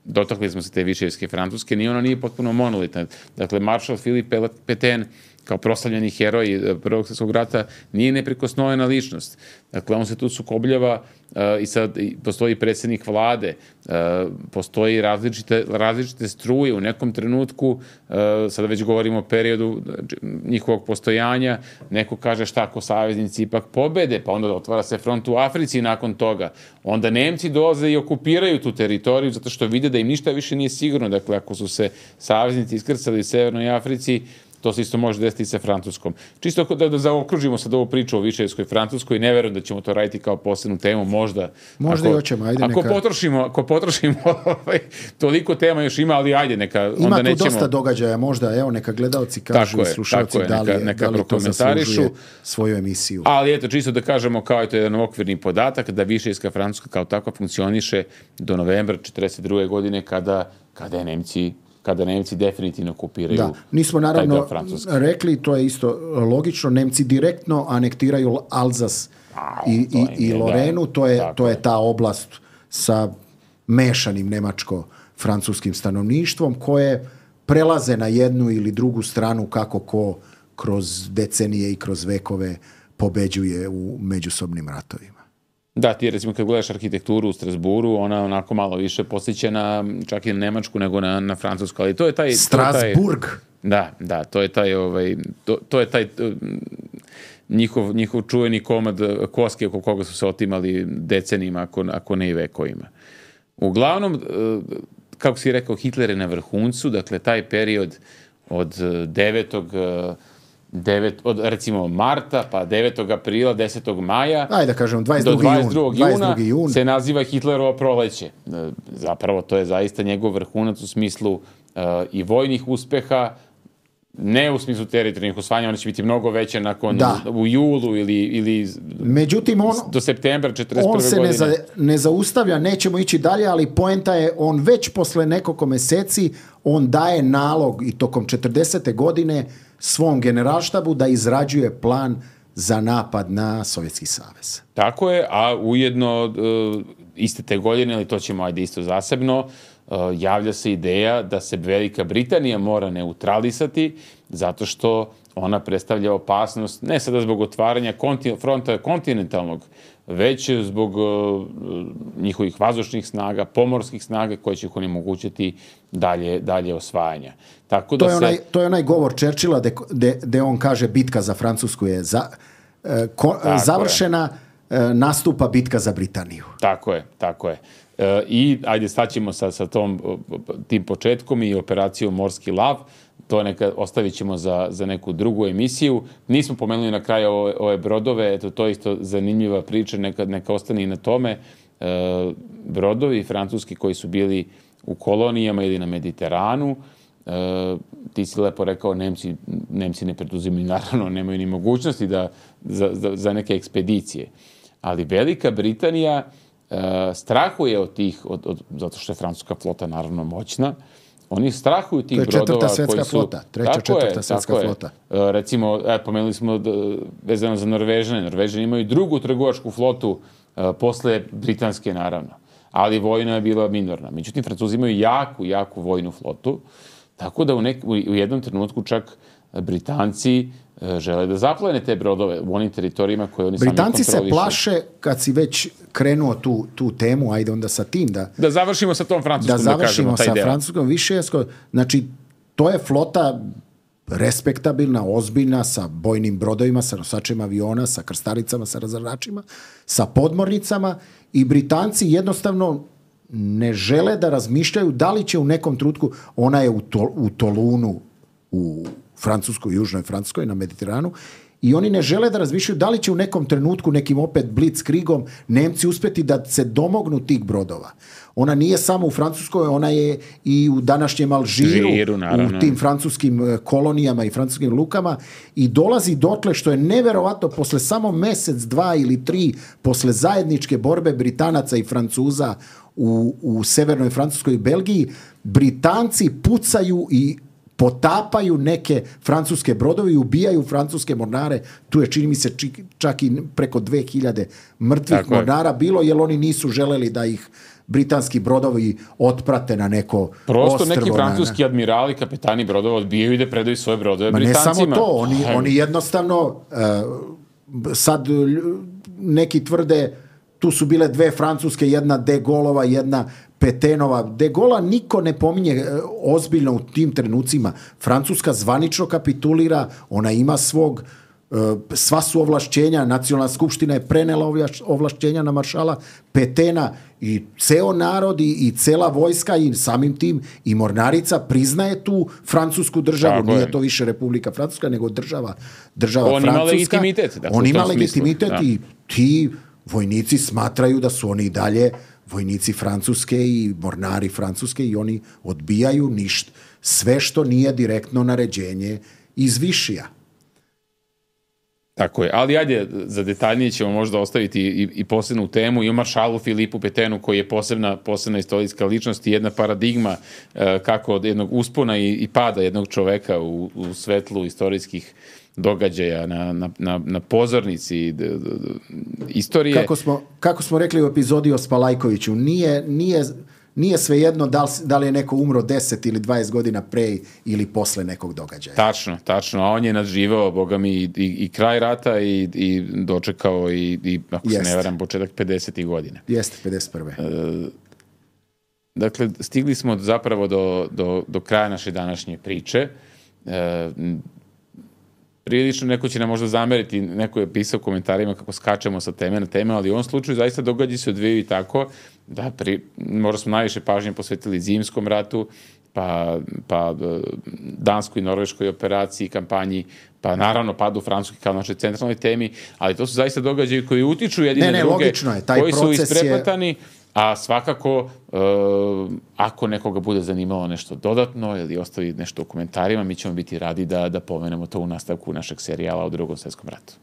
dotakli smo se te Višijevske Francuske, ni ona nije potpuno monolitna. Dakle, maršal Filip Petain kao proslavljeni heroj Prvog svjetskog rata, nije neprikosnovena ličnost. Dakle, on se tu sukobljava uh, i sad i postoji predsjednik vlade, uh, postoji različite, različite struje u nekom trenutku, uh, sada već govorimo o periodu njihovog postojanja, neko kaže šta ako saveznici ipak pobede, pa onda otvara se front u Africi nakon toga. Onda Nemci dolaze i okupiraju tu teritoriju zato što vide da im ništa više nije sigurno. Dakle, ako su se saveznici iskrcali u Severnoj Africi, to se isto može desiti sa Francuskom. Čisto da, da zaokružimo sad ovu priču o Višejevskoj Francuskoj, ne verujem da ćemo to raditi kao posebnu temu, možda. Možda ako, i hoćemo, ajde ako neka. Potrošimo, ako potrošimo, ovaj, toliko tema još ima, ali ajde, neka, ima onda nećemo. Ima tu dosta događaja, možda, evo, neka gledalci kažu i slušalci da li, neka, neka da li to zaslužuje svoju emisiju. Ali eto, čisto da kažemo, kao je to jedan okvirni podatak, da Višejevska Francuska kao takva funkcioniše do novembra četrdeset druge godine, kada, kada je Nemci kada Nemci definitivno okupiraju. Da, nismo naravno rekli, to je isto logično, Nemci direktno anektiraju Alzas A, i, i, i Lorenu, da, to, je, to je ta oblast sa mešanim nemačko-francuskim stanovništvom koje prelaze na jednu ili drugu stranu kako ko kroz decenije i kroz vekove pobeđuje u međusobnim ratovima. Da, ti recimo kad gledaš arhitekturu u Strasburu, ona onako malo više posjeća na čak i na nemačku nego na, na francusku, ali to je taj... Strasburg. To je taj, da, da, to je taj, ovaj, to, to je taj njihov, njihov čuveni komad koske oko koga su se otimali decenijima, ako, ako ne i vekovima. Uglavnom, kako si rekao, Hitler je na vrhuncu, dakle taj period od devetog Devet, od recimo marta, pa devetog aprila, desetog maja, ajde da kažem, do dvadeset drugog juna se naziva Hitlerovo proleće. Zapravo to je zaista njegov vrhunac u smislu uh, i vojnih uspeha, ne u smislu teritorijalnih osvajanja, one će biti mnogo veće nakon da. u julu ili, ili Međutim, on, do septembra četrdeset prve on se godine. ne, za, ne zaustavlja, nećemo ići dalje, ali poenta je, on već posle nekoliko meseci, on daje nalog i tokom četrdesete godine svom generalštabu da izrađuje plan za napad na Sovjetski savez. Tako je, a ujedno uh, iste te godine, ali to ćemo ajde isto zasebno, uh, javlja se ideja da se Velika Britanija mora neutralisati zato što ona predstavlja opasnost ne sada zbog otvaranja kontin- fronta kontinentalnog, već zbog uh, njihovih vazdušnih snaga, pomorskih snaga koje će ih onemogućiti dalje, dalje osvajanja. Tako da to, je onaj, se... to je onaj govor Churchilla gde on kaže bitka za Francusku je za, uh, ko, završena, uh, nastupa bitka za Britaniju. Tako je, tako je. Uh, I ajde staćemo sa, sa tom, tim početkom i operacijom Morski lav. To neka ostavit ćemo za, za neku drugu emisiju. Nismo pomenuli na kraju ove, ove brodove, eto to je isto zanimljiva priča, neka, neka ostane i na tome. E, brodovi francuski koji su bili u kolonijama ili na Mediteranu, e, ti si lepo rekao, Nemci, Nemci ne preduzimaju, naravno, nemaju ni mogućnosti da, za, za, za neke ekspedicije. Ali Velika Britanija e, strahuje od tih, od, od, zato što je francuska flota naravno moćna, oni strahuju tih brodova koji su... Flota. Treća, četvrta svjetska flota. E, recimo, e, pomenuli smo da, vezano za Norvežane. Norvežani imaju drugu trgovačku flotu e, posle britanske, naravno. Ali vojna je bila minorna. Međutim, Francuzi imaju jaku, jaku vojnu flotu. Tako da u, nek, u jednom trenutku čak Britanci e, žele da zaplene te brodove u onim teritorijima koje oni Britanci sami kontrolišu. Britanci se plaše, kad si već krenuo tu, tu temu, ajde onda sa tim da... Da završimo sa tom francuskom, da, da kažemo taj sa deo. francuskom Višejevskom. Znači, to je flota respektabilna, ozbiljna, sa bojnim brodovima, sa nosačima aviona, sa krstalicama, sa razaračima, sa podmornicama i Britanci jednostavno ne žele da razmišljaju da li će u nekom trenutku, ona je u, to, u Tolunu, u Francuskoj, Južnoj Francuskoj, na Mediteranu, i oni ne žele da razmišljaju da li će u nekom trenutku, nekim opet blitzkriegom, Nemci uspjeti da se domognu tih brodova. Ona nije samo u Francuskoj, ona je i u današnjem Alžiru, Žiru, u tim francuskim kolonijama i francuskim lukama i dolazi dotle što je neverovatno posle samo mjesec, dva ili tri posle zajedničke borbe Britanaca i Francuza u, u severnoj Francuskoj i Belgiji, Britanci pucaju i potapaju neke francuske brodovi i ubijaju francuske mornare. Tu je, čini mi se, čak i preko dve hiljade mrtvih Tako mornara je. bilo, jer oni nisu želeli da ih britanski brodovi otprate na neko Prosto ostrvo. neki francuski na, admirali, kapetani brodova odbijaju i da predaju svoje brodove Ma Britancima. ne samo to, oni, oni jednostavno uh, sad neki tvrde tu su bile dve francuske, jedna De Gaulleova, jedna Petenova. De Gaulle'a niko ne pominje ozbiljno u tim trenucima. Francuska zvanično kapitulira, ona ima svog, sva su ovlašćenja, nacionalna skupština je prenela ovlašćenja na maršala Petena i ceo narod i, i cela vojska i samim tim i mornarica priznaje tu francusku državu. Tako Nije je. to više Republika Francuska, nego država, država On Francuska. Ima legitimitet, dakle, On ima legitimitet i ti vojnici smatraju da su oni i dalje vojnici Francuske i mornari Francuske i oni odbijaju ništa, sve što nije direktno naređenje iz višija. Tako je, ali ajde, za detaljnije ćemo možda ostaviti i, i posebnu temu i o maršalu Filipu Petenu koji je posebna, posebna istorijska ličnost i jedna paradigma e, kako od jednog uspona i, i pada jednog čoveka u, u svetlu istorijskih događaja na, na, na, na pozornici d, d, d, istorije. Kako smo, kako smo rekli u epizodi o Spalajkoviću, nije, nije, nije svejedno da li, da li je neko umro deset ili dvadeset godina pre ili posle nekog događaja. Tačno, tačno, a on je nadživao, boga mi, i, i, i kraj rata i, i dočekao i, i ako Jest. se ne varam, početak pedesetih godina. Jeste, pedeset prve. E, dakle, stigli smo zapravo do, do, do kraja naše današnje priče. E, prilično neko će nam možda zameriti, neko je pisao u komentarima kako skačemo sa teme na teme, ali u ovom slučaju zaista događa se odvijaju i tako da pri, možda smo najviše pažnje posvetili Zimskom ratu, pa, pa Danskoj i Norveškoj operaciji, kampanji, pa naravno padu Francuske kao našoj centralnoj temi, ali to su zaista događaji koji utiču jedine ne, ne, druge, je, taj koji su isprepletani, je... a svakako uh, ako nekoga bude zanimalo nešto dodatno ili ostavi nešto u komentarima, mi ćemo biti radi da, da pomenemo to u nastavku našeg serijala o Drugom svjetskom ratu.